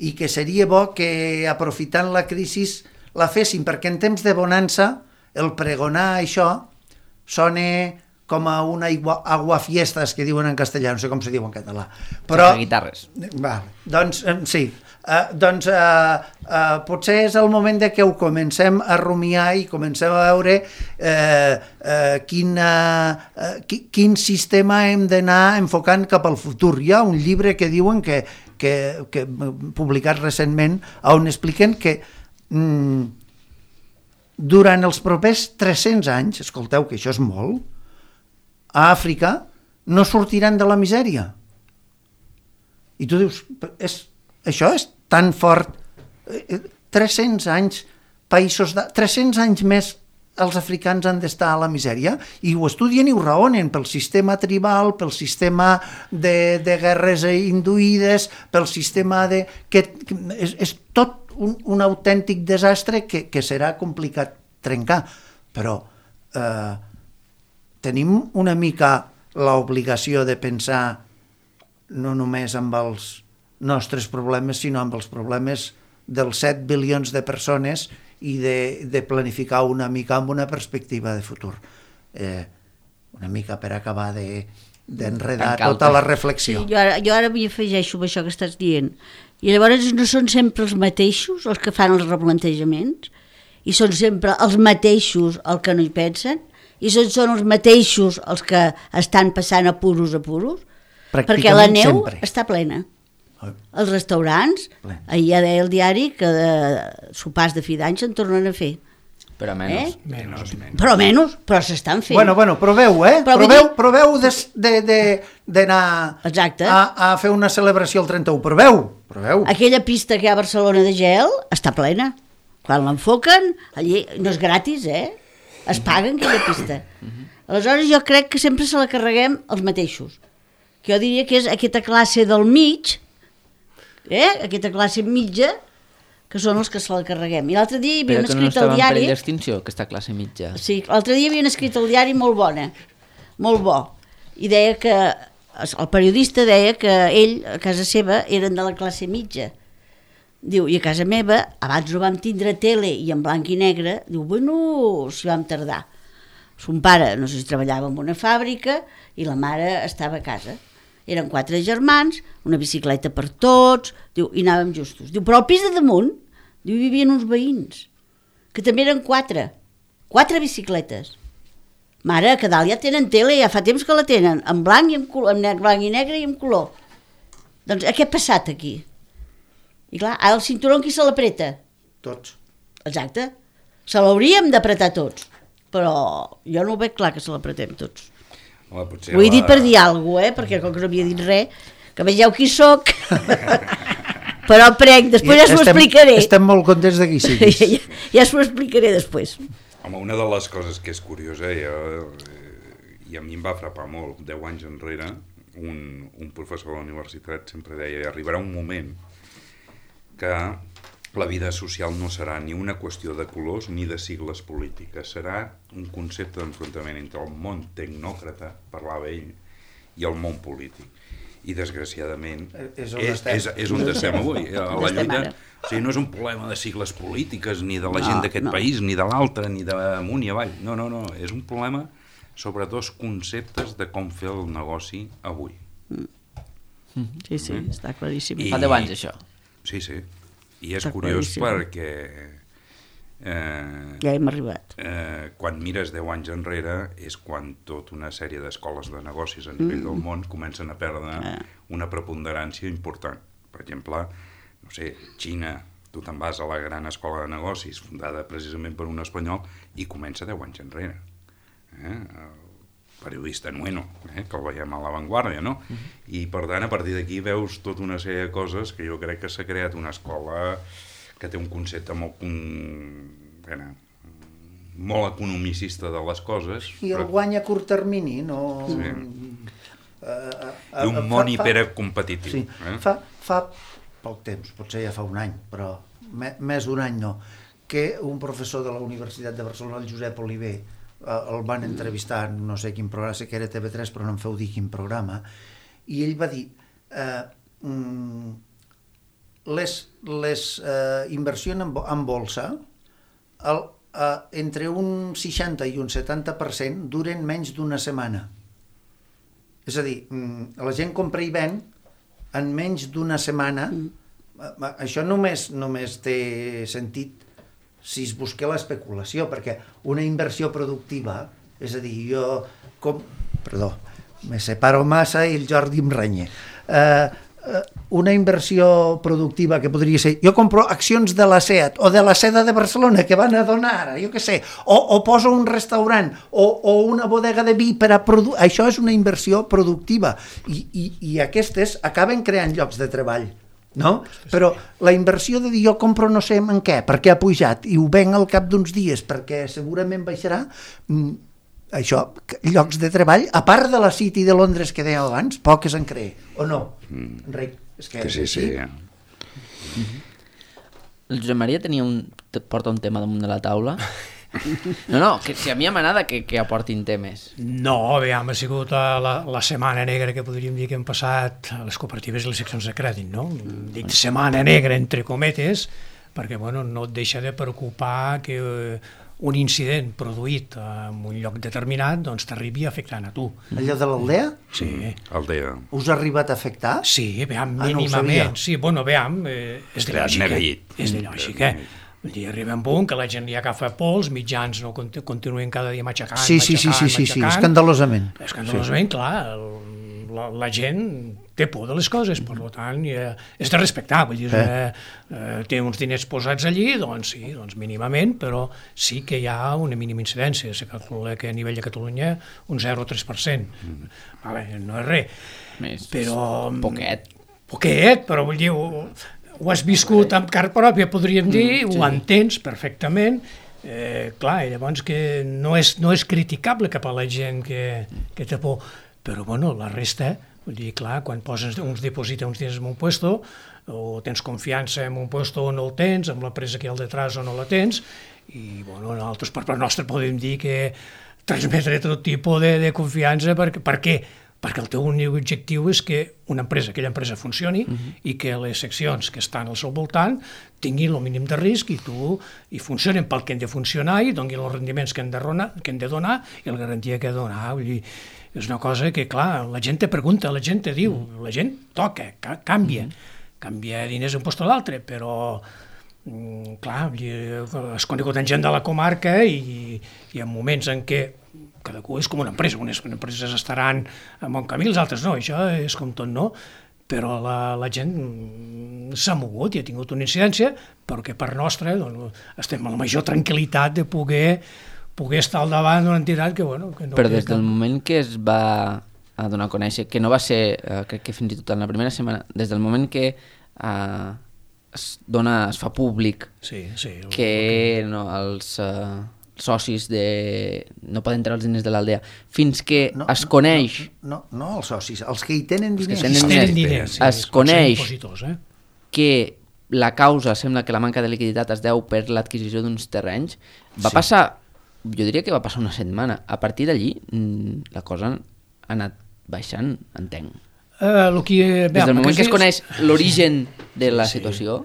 i que seria bo que, aprofitant la crisi, la féssim, perquè en temps de bonança el pregonar això sona com a una aguafiestas que diuen en castellà, no sé com se diu en català. Però... guitarres. Vale, doncs sí, uh, doncs uh, uh, potser és el moment de que ho comencem a rumiar i comencem a veure uh, uh, quin, uh, uh, quin sistema hem d'anar enfocant cap al futur. Hi ha un llibre que diuen que, que, que publicat recentment on expliquen que mm, durant els propers tres-cents anys, escolteu que això és molt, a Àfrica no sortiran de la misèria. I tu dius, és, això és tan fort. tres-cents anys, països de... tres-cents anys més els africans han d'estar a la misèria, i ho estudien i ho raonen pel sistema tribal, pel sistema de, de guerres induïdes, pel sistema de... que és, és tot un, un autèntic desastre que, que serà complicat trencar, però... Eh, tenim una mica l'obligació de pensar no només amb els nostres problemes, sinó amb els problemes dels set bilions de persones i de, de planificar una mica amb una perspectiva de futur. Eh, una mica per acabar de, d'enredar tota la reflexió. Sí, jo ara, jo ara m'hi afegeixo amb això que estàs dient. I llavors no són sempre els mateixos els que fan els replantejaments, i són sempre els mateixos els que no hi pensen, i són, són els mateixos els que estan passant apuros apuros, perquè la neu sempre està plena. Els restaurants, Plen. Ahir ja deia el diari que de sopars de fi d'any se'n tornen a fer. Però menys. Eh? Menys, menys. Però menys, però s'estan fent. Bueno, bueno, proveu, eh? Però vull Proveu, dir- proveu de- de- de- d'anar Exacte. a, a fer una celebració el trenta-u. Proveu, proveu. Aquella pista que hi ha a Barcelona de gel està plena. Quan l'enfoquen, allí no és gratis, eh? Es paguen aquella pista. Aleshores jo crec que sempre se la carreguem els mateixos. Que jo diria que és aquesta classe del mig, eh? Aquesta classe mitja, que són els que se la carreguem. I l'altre dia hi havia Però un que no escrit estava al en perill diari... d'extinció, aquesta classe mitja. Sí, l'altre dia hi havia un escrit al diari molt bona, molt bo, i deia que, el periodista deia que ell, a casa seva, eren de la classe mitja. Diu, i a casa meva, abans no vam tindre tele i en blanc i negre, diu, bueno, si vam tardar. Son pare, no sé si treballava en una fàbrica, i la mare estava a casa. Eren quatre germans, una bicicleta per tots, diu, i anàvem justos. Diu, però al pis de damunt, diu, hi vivien uns veïns, que també eren quatre, quatre bicicletes. Mare, que dalt ja tenen tele, ja fa temps que la tenen, en blanc i en color, en negre, blanc i negre i en color. Doncs què ha passat aquí? I clar, ara el cinturó qui se l'apreta? Tots. Exacte. Se l'hauríem d'apretar tots, però jo no ho veig clar que se l'apretem tots. Home, potser Ho he la- dit per dir alguna cosa, eh? Perquè com que no havia dit res, que vegeu qui sóc, però prenc, després ja s'ho Estem- explicaré. Estem molt contents de qui Ja, siguis. ja, ja s'ho explicaré després. Home, una de les coses que és curiosa, jo, eh, i a mi em va frapar molt, deu anys enrere, un, un professor de la universitat sempre deia, arribarà un moment que la vida social no serà ni una qüestió de colors ni de sigles polítiques, serà un concepte d'enfrontament entre el món tecnòcrata, parlava ell, i el món polític. I desgraciadament És on és, estem. és, és on estem avui. A On la estem lluita, ara. o sigui, no és un problema de sigles polítiques ni de la No, gent d'aquest no. país, ni de l'altre, ni d'amunt i avall. No, no, no, és un problema sobre dos conceptes de com fer el negoci avui. Sí, sí, està claríssim. I- Fa deu anys, això. Sí, sí. I és Està curiós claríssim. perquè eh, Ja hem arribat. eh, quan mires deu anys enrere és quan tota una sèrie d'escoles de negocis a nivell del món comencen a perdre Ah. una preponderància important. Per exemple, no sé, Xina, tu te'n vas a la gran escola de negocis fundada precisament per un espanyol i comença deu anys enrere. Eh? El periodista Nueno, eh? que el veiem a l'avantguàrdia, no? Uh -huh. I per tant, a partir d'aquí veus tota una sèrie de coses que jo crec que s'ha creat una escola que té un concepte molt, con... bueno, molt economicista de les coses. I el guany a curt termini, no... Sí. Uh, I un món hipercompetitiu. Sí, eh? fa, fa poc temps, potser ja fa un any, però me, més d'un any no, que un professor de la Universitat de Barcelona, el Josep Oliver, eh, el van entrevistar en no sé quin programa, sé que era T V tres, però no em feu dir quin programa, i ell va dir eh, mm, les, les eh, inversions en, bo- en bolsa el, eh, entre un seixanta i un setanta per cent duren menys d'una setmana. És a dir, mm, la gent compra i ven en menys d'una setmana. Mm. Això només, només té sentit si es busca l'especulació, perquè una inversió productiva, és a dir, jo... Com... Perdó, me separo massa i el Jordi em renya. Eh, eh, una inversió productiva que podria ser... Jo compro accions de la SEAT o de la Seda de Barcelona que van a donar ara, jo què sé, o, o poso un restaurant o, o una bodega de vi per a produir... Això és una inversió productiva i, i, i aquestes acaben creant llocs de treball. No? Però la inversió de dir jo compro no sé en què, perquè ha pujat i ho venc al cap d'uns dies perquè segurament baixarà, mm, això, llocs de treball, a part de la City de Londres que deia abans, poques en cree, o no? Mm. Enric, és que, Que sí, sí. El Josep Maria tenia un, te porta un tema damunt de la taula. No, no, que si a mi m'agrada que, que aportin temes. No, aviam, ha sigut la, la, la setmana negra que podríem dir que hem passat a les cooperatives i les seccions de crèdit, no? Dic setmana negra, entre cometes, perquè bueno, no et deixa de preocupar que eh, un incident produït en un lloc determinat doncs t'arribi afectant a tu. Allò de l'Aldea? Sí. Aldea. Us ha arribat a afectar? Sí, veam, Ah, no ho mínimament. sabia. Sí, bueno, veam, eh, és de Clar, lògica. neguit. És de lògica. Vull dir, arriba un punt que la gent li agafa pols, mitjans no cont- continuen cada dia matxacant, Sí, sí, sí, matxacant, sí, sí, sí, matxacant. escandalosament. Escandalosament, clar, el, la, la gent té por de les coses, per tant, eh, és de respectar, vull dir, eh. eh, té uns diners posats allí, doncs sí, doncs mínimament, però sí que hi ha una mínima incidència, se calcula que a nivell de Catalunya un zero coma tres per cent, mm. vale, no és res, Més, però... Poquet. Poquet, però vull dir, ho, ho has viscut amb car pròpia, podríem dir, mm, sí. Ho entens perfectament. Eh, clar, llavors que no és, no és criticable cap a la gent que, que té por, però bueno, la resta, vull dir, clar, quan poses uns diposita uns diners en un puesto, o tens confiança en un puesto o no el tens, amb l'empresa que hi ha al detrás o no la tens, i bueno, nosaltres per part nostra podem dir que transmetre tot tipus de, de confiança, per, per què? Perquè el teu únic objectiu és que una empresa, aquella empresa funcioni uh-huh. i que les seccions que estan al seu voltant tinguin el mínim de risc i tu i funcionen pel que han de funcionar i donin els rendiments que han de, ronar, que han de donar i la garantia que ha de donar. Vull dir, és una cosa que, clar, la gent te pregunta, la gent te diu, uh-huh. la gent toca, ca canvia, uh-huh. canvia diners d'un lloc a l'altre, però mm, clar, has conegut en gent de la comarca i hi ha moments en què cadascú és com una empresa, unes empreses estaran en bon camí, les altres no, això és com tot, no? Però la, la gent s'ha mogut i ha tingut una incidència, però que per nostra doncs, estem a la major tranquil·litat de poder, poder estar al davant d'una entitat que, bueno... Que no però des del moment que es va a donar a conèixer, que no va ser, eh, crec que fins i tot en la primera setmana, des del moment que eh, es dona, es fa públic sí, sí, el, que el que... No, els... Eh, socis de... no poden treure els diners de l'aldea, fins que no, es coneix... No, no, no els socis, els que hi tenen diners. Els que tenen diners, diners sí, es coneix eh? que la causa sembla que la manca de liquiditat es deu per l'adquisició d'uns terrenys. Va sí. passar, jo diria que va passar una setmana. A partir d'allí la cosa ha anat baixant, entenc. Uh, lo que, Des del moment que es coneix l'origen de la sí. situació...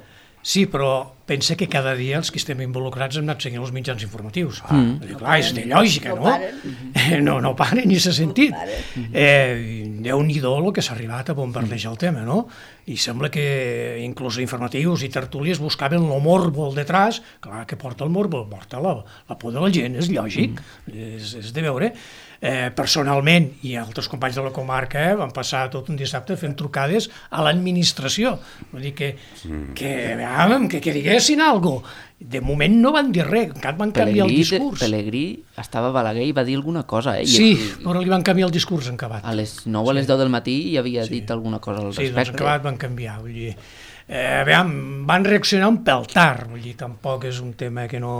Sí, però pensa que cada dia els que estem involucrats hem anat seguint els mitjans informatius. Ah, mm. Clar, és de lògica, no? No, no, no paren ni s'ha sentit. No eh, Déu-n'hi-do el que s'ha arribat a bombardejar el tema, no? I sembla que inclús informatius i tertúlies buscaven el morbo al detrás. Clar, que porta el morbo? Porta la, la por de la gent, és lògic, mm. és, és de veure. Eh, personalment, i altres companys de la comarca eh, van passar tot un dissabte fent trucades a l'administració. Vull dir que, que, veiem, que, que diguessin alguna cosa. De moment no van dir res, encara van canviar Pelegrí, el discurs. Pelegrí estava a Balaguer i va dir alguna cosa. Eh? Sí, I, però li van canviar el discurs en Cabat. A les nou o a les deu del matí hi havia sí. dit alguna cosa al sí, respecte. Sí, doncs en Cabat van canviar. Vull dir, eh, veiem, van reaccionar un pèl tard, vull dir, tampoc és un tema que no...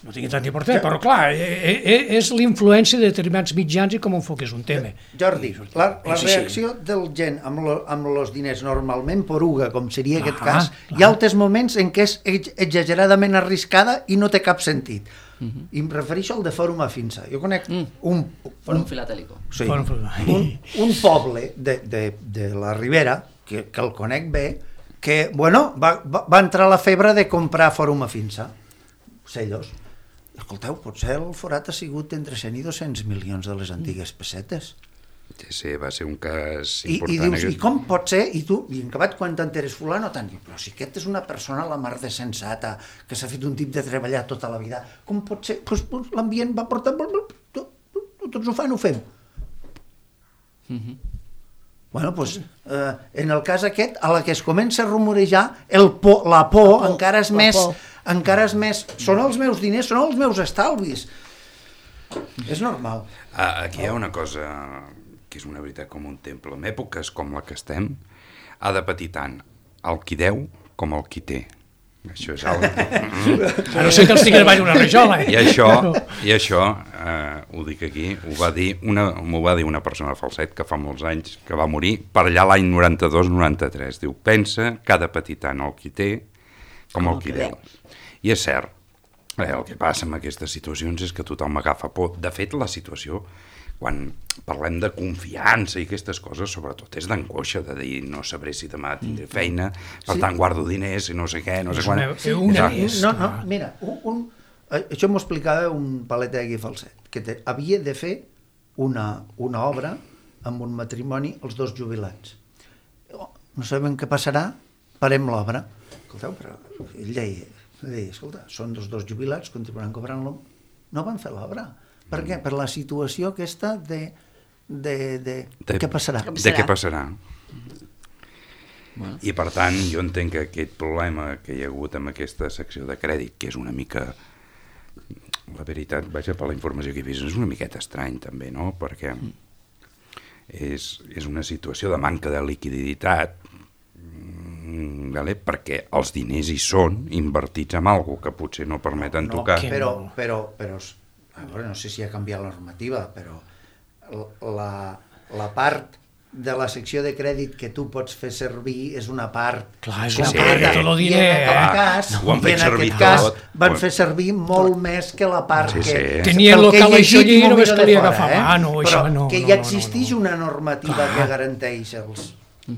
no tingui tant d'importància, però clar, és l'influència de determinats mitjans i com enfoques un tema. Jordi, la, la reacció del gent amb, lo, amb els diners normalment poruga, com seria ah, aquest cas, clar. Hi ha altres moments en què és exageradament arriscada i no té cap sentit. Uh-huh. I em refereixo al de Fòrum Afinsa. Jo conec mm. un... Fòrum Filatèlico. Sí, un, un poble de, de, de la Ribera, que, que el conec bé, que, bueno, va, va, va entrar la febre de comprar Fòrum Afinsa. Cellos. Escolteu, potser el forat ha sigut entre cent i dos-cents milions de les antigues pessetes. Sí, sí, va ser un cas I, important. I dius, aquest... i com pot ser? I tu, i en acabat, quan t'enteres fulano, tant, però si aquest és una persona a la mar de sensata, que s'ha fet un tip de treballar tota la vida, com pot ser? Pues, pues, l'ambient va portar... Tots ho fan, ho fem. Mm-hmm. Bueno, doncs, eh, en el cas aquest, a la que es comença a rumorejar, el por, la por, la por encara és més... Por. encara és més... Són els meus diners, són els meus estalvis. És normal. Ah, aquí hi ha una cosa que és una veritat com un temple. En èpoques com la que estem, ha de patir tant el qui deu com el qui té. Això és algo... A no ser que els tingués baix una rajola. I això, i això eh, ho dic aquí, ho va dir una, m'ho va dir una persona de Falset que fa molts anys, que va morir per allà l'any noranta-dos noranta-tres. Diu, pensa que ha de patir tant el qui té com el qui deu. I és cert, eh, el que passa amb aquestes situacions és que tothom agafa por. De fet, la situació, quan parlem de confiança i aquestes coses, sobretot és d'angoixa, de dir no sabré si demà tindré feina, per sí. tant guardo diners i no sé què, no sé quan... Una, no, no, mira, un, un, això m'ho explicava un palet aquí Falset, que te, havia de fer una, una obra amb un matrimoni els dos jubilats. No sabem què passarà, parem l'obra. Escolteu, però ell deia, deia, escolta, són dos dos jubilats, continuaran cobrant-lo. No van fer l'obra. Per què? Per la situació aquesta de de, de, de què passarà. De què passarà. Bueno. I per tant, jo entenc que aquest problema que hi ha hagut amb aquesta secció de crèdit, que és una mica, la veritat, vaja, per la informació que he vist, és una miqueta estrany també, no? Perquè és, és una situació de manca de liquiditat, vale? Perquè els diners hi són invertits en alguna cosa que potser no permeten no, tocar. Però, però, però a veure, no sé si ha canviat la normativa, però la, la part de la secció de crèdit que tu pots fer servir és una part... Clar, és una una part de tot el diner. I en aquest cas, ho han fet i en servir aquest cas tot. van fer servir molt més que la part Sí, que... sí. Tenia el local això allí i només calia agafar eh? mà, no, això Però no, que no, ja no, existeix no, no. una normativa Clar. que garanteix els...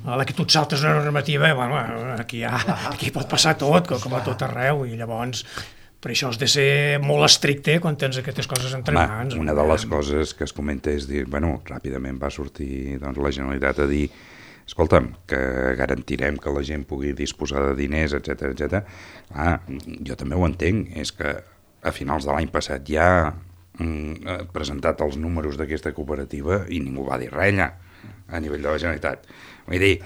A la que tu et saltes una normativa, bueno, aquí, ha, aquí pot passar tot, com a tot arreu, i llavors per això has de ser molt estricte quan tens aquestes coses entre Home, mans. una de les coses que es comenta és dir, bueno, ràpidament va sortir doncs, la Generalitat a dir, escolta'm, que garantirem que la gent pugui disposar de diners, etcètera, etcètera. Ah, jo també ho entenc, és que a finals de l'any passat ja mm, presentat els números d'aquesta cooperativa i ningú va dir res allà, a nivell de la Generalitat. Vull dir,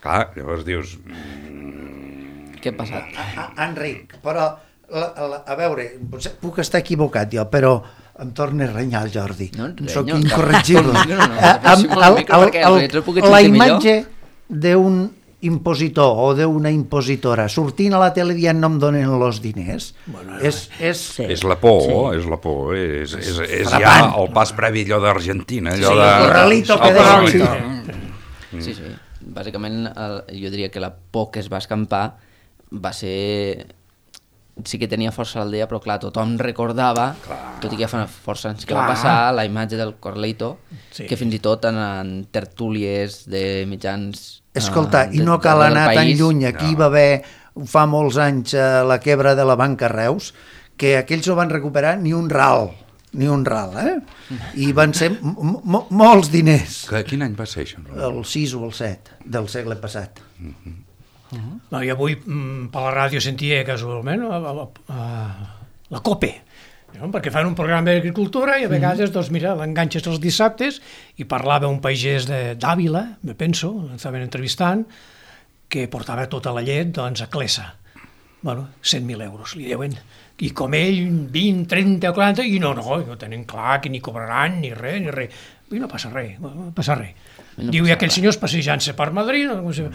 clar, llavors dius... Mm... Què ha passat? A, a, Enric, però, la, la, a veure, potser puc estar equivocat jo, però em torna a renyar el Jordi. No et Soc renyo, incorregible. no, no, no, Eh, amb el micro perquè el retro pugui la sentir imatge d'un impositor o d'una impositora sortint a la tele dient no em donen els diners, bueno, és, és, Sí. És la por, sí. és la por, és, és, és ja frapant. el pas previ allò d'Argentina, allò Sí, de... el corralito que el deia. corralito. Sí, sí. Bàsicament, el, jo diria que la por que es va escampar va ser... Sí que tenia força a l'aldea, però clar, tothom recordava, clar. Tot i que ja fa força anys que clar. Va passar, la imatge del Corleito, sí. Que fins i tot en, en tertúlies de mitjans... Escolta, uh, i no cal anar tan lluny. Aquí no. Va haver, fa molts anys, la quebra de la banca Reus, que aquells no van recuperar ni un ral, ni un ral, eh? I van ser molts diners. Que, quin any va ser això? No? El sis o el set del segle passat. Uh-huh. Uh-huh. No, I avui mm, per la ràdio sentia casualment la, la, la, la COPE, no? Perquè fan un programa d'agricultura i a vegades, doncs mira, l'enganxes els dissabtes i parlava un pagès d'Àvila, me penso, l'estaven entrevistant, que portava tota la llet doncs, a Clessa. Bueno, cent mil euros li deuen. I com ell, vint, trenta, quaranta, i no, no, no tenen clar que ni cobraran, ni res, ni res. I no passa res, no passa res. No Diu, i aquells senyors passejant-se per Madrid, no, com si...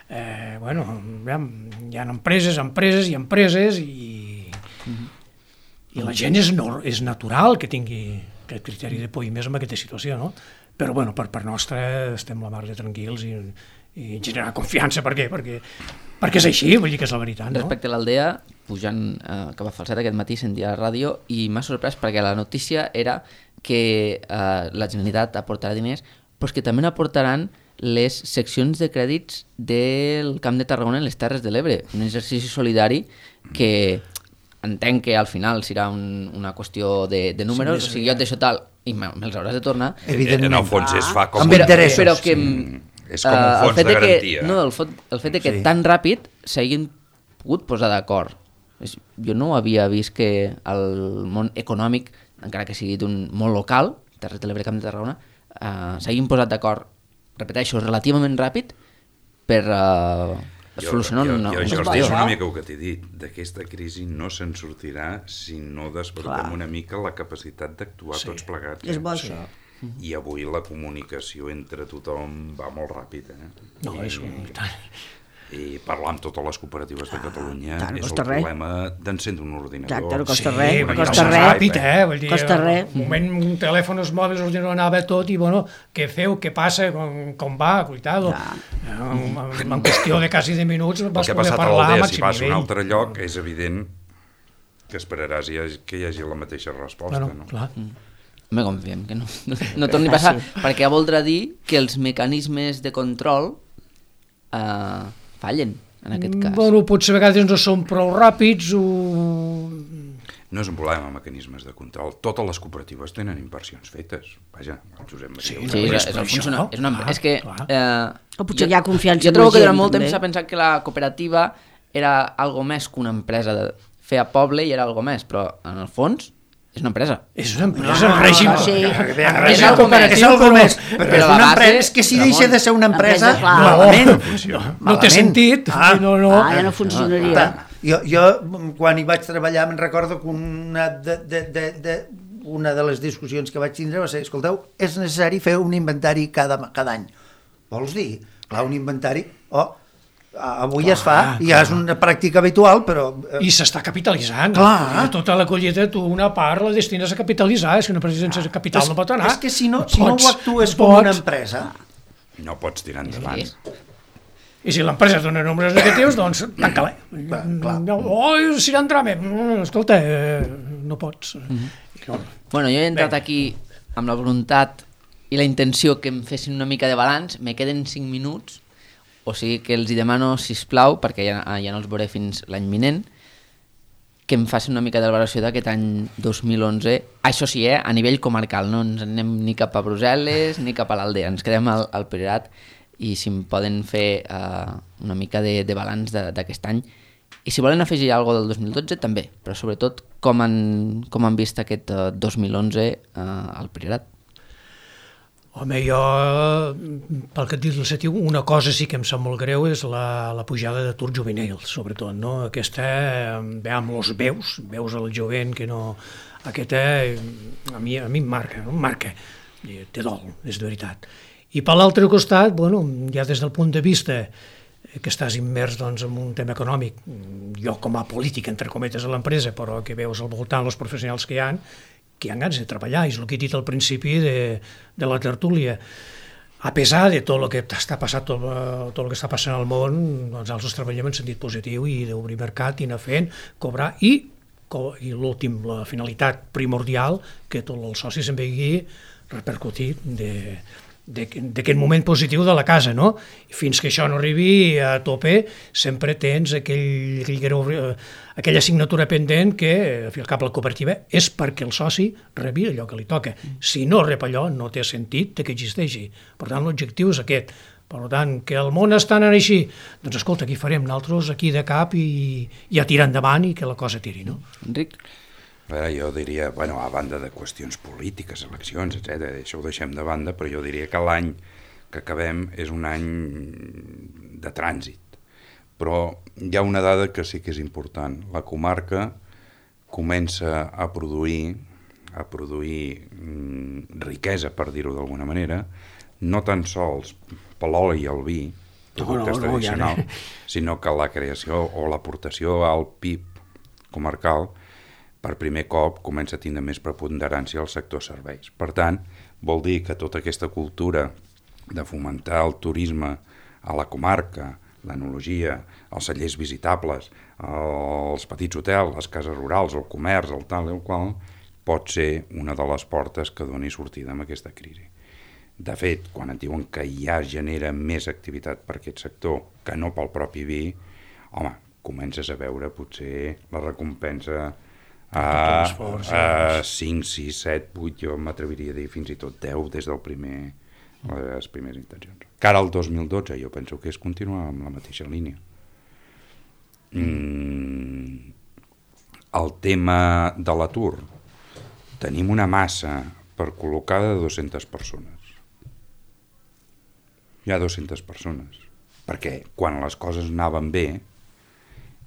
Eh, bueno, hi ha empreses, empreses i empreses i, mm-hmm. i la gent és, no, és natural que tingui aquest criteri de por i més en aquesta situació, no? Però bueno, per part nostra estem la mar de tranquils i, i generar confiança, per què? Perquè, perquè és així, vull dir que és la veritat, no? Respecte a l'aldea, pujant eh, cap a Falset aquest matí sentia la ràdio i m'ha sorprès perquè la notícia era que eh, la Generalitat aportarà diners, però que també n'aportaran les seccions de crèdits del Camp de Tarragona en les Terres de l'Ebre, un exercici solidari que entenc que al final serà un, una qüestió de, de números, sí, o sigui, jo et deixo tal i me'ls hauràs de tornar. Evidentment. En el fons es fa com... Amb un- interessos. Però que... Sí. És com un uh, fons de garantia. Que, no, el, fot, el fet de que Sí. tan ràpid s'hagin pogut posar d'acord. És- Jo no havia vist que el món econòmic, encara que sigui d'un món local, Terres de l'Ebre, Camp de Tarragona, uh, s'hagin posat d'acord, repeteixo, relativament ràpid per uh, solucionar jo, una... jo, una jo, qüestió. és una mica el que t'he dit, d'aquesta crisi no se'n sortirà si no despertem una mica la capacitat d'actuar Sí. tots plegats. És bo, eh? això. I avui la comunicació entre tothom va molt ràpid, eh? No, I, és un... I parlar amb totes les cooperatives de Catalunya tant, no és el costa res. problema d'encendre un ordinador. Exacte, no costa Sí, res, vull dir, costa no res. ràpid, eh? Vull dir, Costa res. Un moment, un telèfons mòbils, ordinador anava tot i, bueno, què feu, què passa, com, com va, cuidado. Eh, En, en qüestió de quasi de minuts El vas que ha poder passat a parlar a l'aldea, si màxim vas a un nivell. altre lloc, és evident que esperaràs hi hagi- que hi hagi la mateixa resposta. Bueno, no? clar. Me confiem que no, no, no torni a passar, perquè voldrà dir que els mecanismes de control uh, fallen, en aquest cas. Bueno, potser a vegades no són prou ràpids o... No és un problema amb mecanismes de control. Totes les cooperatives tenen inversions fetes. Vaja, el Josep Maria... Sí, ho Sí, sap. és, és és, per és, això, funciona, és, una, clar, és que... clar. Eh, O potser jo- hi ha confiança Jo en trobo la que durant gent, molt temps també. s'ha pensat que la cooperativa era algo més que una empresa de fer a poble i era algo més, però en el fons és una empresa. És una empresa, en règim, sí. és cooperatiu, algo però, més, però, però és la una base, empresa, és que si Ramon, deixa de ser una empresa, empresa, clar. malament. no, no té sentit. Ah, no, no. Ah, ja no funcionaria. Jo, jo, quan hi vaig treballar, me'n recordo que una de, de, de, de, una de les discussions que vaig tindre va ser, escolteu, és necessari fer un inventari cada, cada any. Vols dir? Clar, un inventari... Oh, avui clar, es fa, i ja és una pràctica habitual, però... I s'està capitalitzant. Clar. Tota la collita, tu una part la destines a capitalitzar, és que una empresa sense capital és, no pot anar. És que si no, si no Pots, ho actues no com una pots. empresa... No pots tirar endavant. I si l'empresa dona números negatius, doncs tanca-la. clar. Oh, si n'entrame. Escolta, eh, no pots. Mm-hmm. Bueno, jo he entrat aquí amb la voluntat i la intenció que em fessin una mica de balanç, me queden cinc minuts, o sigui que els hi demano, sisplau, perquè ja, ja no els veuré fins l'any vinent, que em facin una mica de valoració d'aquest any dos mil onze, això sí, eh, a nivell comarcal, no ens anem ni cap a Brussel·les ni cap a l'Aldea, ens quedem al, al Priorat, i si em poden fer uh, una mica de, de balanç d'aquest any. I si volen afegir alguna cosa del dos mil dotze, també, però sobretot com han, com han vist aquest uh, dos mil onze uh, al Priorat. Home, jo, pel que et dic, una cosa sí que em sap molt greu és la, la pujada d'atur juvenil, sobretot, no? Aquesta, ve amb els veus, veus al jovent que no... Aquesta, a mi, a mi em marca, em marca, té dol, és de veritat. I per l'altre costat, bueno, ja des del punt de vista que estàs immers doncs, en un tema econòmic, jo com a polític, entre cometes, a l'empresa, però que veus al voltant els professionals que hi ha, que han ganes de treballar, és el que he dit al principi de, de la tertúlia. A pesar de tot el que està passant, tot, tot el que està passant al món, doncs nosaltres treballem en sentit positiu i d'obrir mercat i anar fent, cobrar i, i l'últim, la finalitat primordial, que tots els socis en vegi repercutir de, d'aquest moment positiu de la casa, no? Fins que això no arribi a tope, sempre tens aquell, aquell, aquella assignatura pendent que, al cap la cooperativa, és perquè el soci rebi allò que li toca. Si no rep allò, no té sentit que existeixi. Per tant, l'objectiu és aquest. Per tant, que el món està anant així, doncs escolta, aquí farem nosaltres aquí de cap i, i a tirar endavant i que la cosa tiri, no? Enric? Bé, jo diria, bueno, a banda de qüestions polítiques, eleccions, etcètera, això ho deixem de banda, però jo diria que l'any que acabem és un any de trànsit. Però hi ha una dada que sí que és important. La comarca comença a produir, a produir mm, riquesa, per dir-ho d'alguna manera, no tan sols per l'oli i el vi, productes no, no, tradicionals, no, ja... sinó que la creació o l'aportació al P I B comarcal per primer cop comença a tindre més preponderància al sector serveis. Per tant, vol dir que tota aquesta cultura de fomentar el turisme a la comarca, l'enologia, els cellers visitables, els petits hotels, les cases rurals, el comerç, el tal i el qual, pot ser una de les portes que doni sortida amb aquesta crisi. De fet, quan et diuen que ja genera més activitat per aquest sector que no pel propi vi, home, comences a veure potser la recompensa a, a cinc, sis, set, vuit, jo m'atreviria a dir fins i tot deu des del primer, les primeres intencions. Cara al dos mil dotze jo penso que és continuar amb la mateixa línia. Mm, el tema de l'atur, tenim una massa per col·locar de dues-centes persones. Hi ha dues-centes persones, perquè quan les coses anaven bé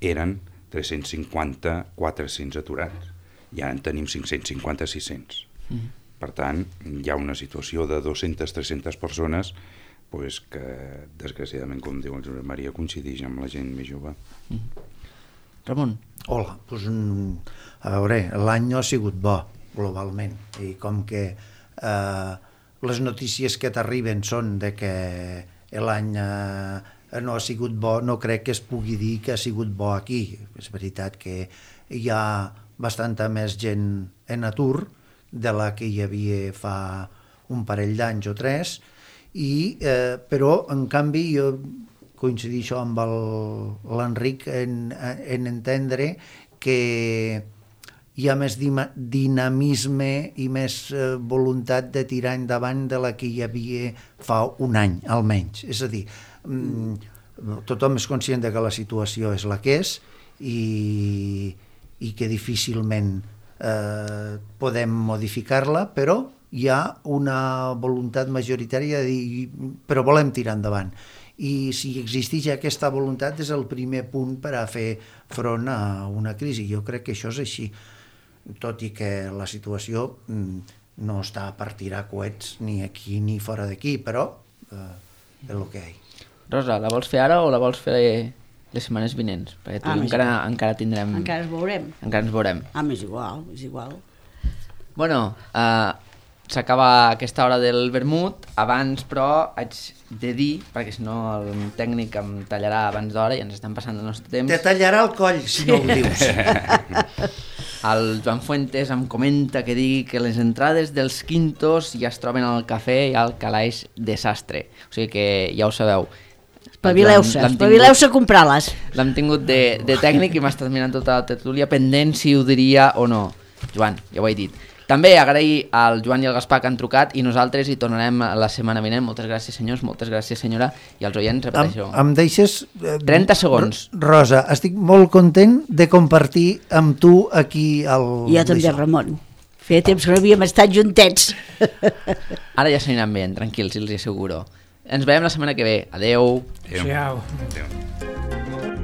eren tres-cents cinquanta, quatre-cents aturats, i ara en tenim cinc-cents cinquanta, sis-cents. Mm. Per tant, hi ha una situació de dues-centes, tres-centes persones pues, que, desgraciadament, com diu el Josep Maria, coincideix amb la gent més jove. Mm. Ramon? Hola, pues, a veure, l'any no ha sigut bo, globalment, i com que eh, les notícies que t'arriben són de que l'any eh, no ha sigut bo, no crec que es pugui dir que ha sigut bo aquí. És veritat que hi ha bastanta més gent en atur de la que hi havia fa un parell d'anys o tres, i, eh, però en canvi jo coincideixo amb l'Enric en, en entendre que hi ha més dinamisme i més eh, voluntat de tirar endavant de la que hi havia fa un any, almenys. És a dir, mm, tothom és conscient de que la situació és la que és i, i que difícilment eh, podem modificar-la, però hi ha una voluntat majoritària de dir, però volem tirar endavant. I si existeix aquesta voluntat és el primer punt per a fer front a una crisi. Jo crec que això és així, tot i que la situació no està per tirar coets ni aquí ni fora d'aquí, però eh, és el que hi ha. Rosa, la vols fer ara o la vols fer les setmanes vinents? Perquè tu Ah, encara, encara tindrem... Encara ens veurem. Encara ens veurem. Ah, és igual, és igual. Bueno, uh, s'acaba aquesta hora del vermut. Abans, però, haig de dir, perquè si no el tècnic em tallarà abans d'hora i ens estan passant el nostre temps. Te tallarà el coll, si no ho dius. El Joan Fuentes em comenta que digui que les entrades dels quintos ja es troben al cafè i al calaix desastre. O sigui que ja ho sabeu. Espavileu-se, L'hem- l'hem espavileu-se a comprar-les. L'hem tingut de, de tècnic i m'ha estat mirant tota la tertúlia pendent si ho diria o no. Joan, ja ho he dit. També agrair al Joan i al Gaspar que han trucat i nosaltres hi tornarem la setmana vinent. Moltes gràcies, senyors, moltes gràcies, senyora, i als oients, Em, repeteixo. em deixes... Eh, trenta segons. Rosa, estic molt content de compartir amb tu aquí el... I jo també, d'això. Ramon. Feia temps que no havíem estat juntets. Ara ja s'aniran bé, tranquils, els hi asseguro. Ens veiem la setmana que ve. Adeu. Adéu. Adéu.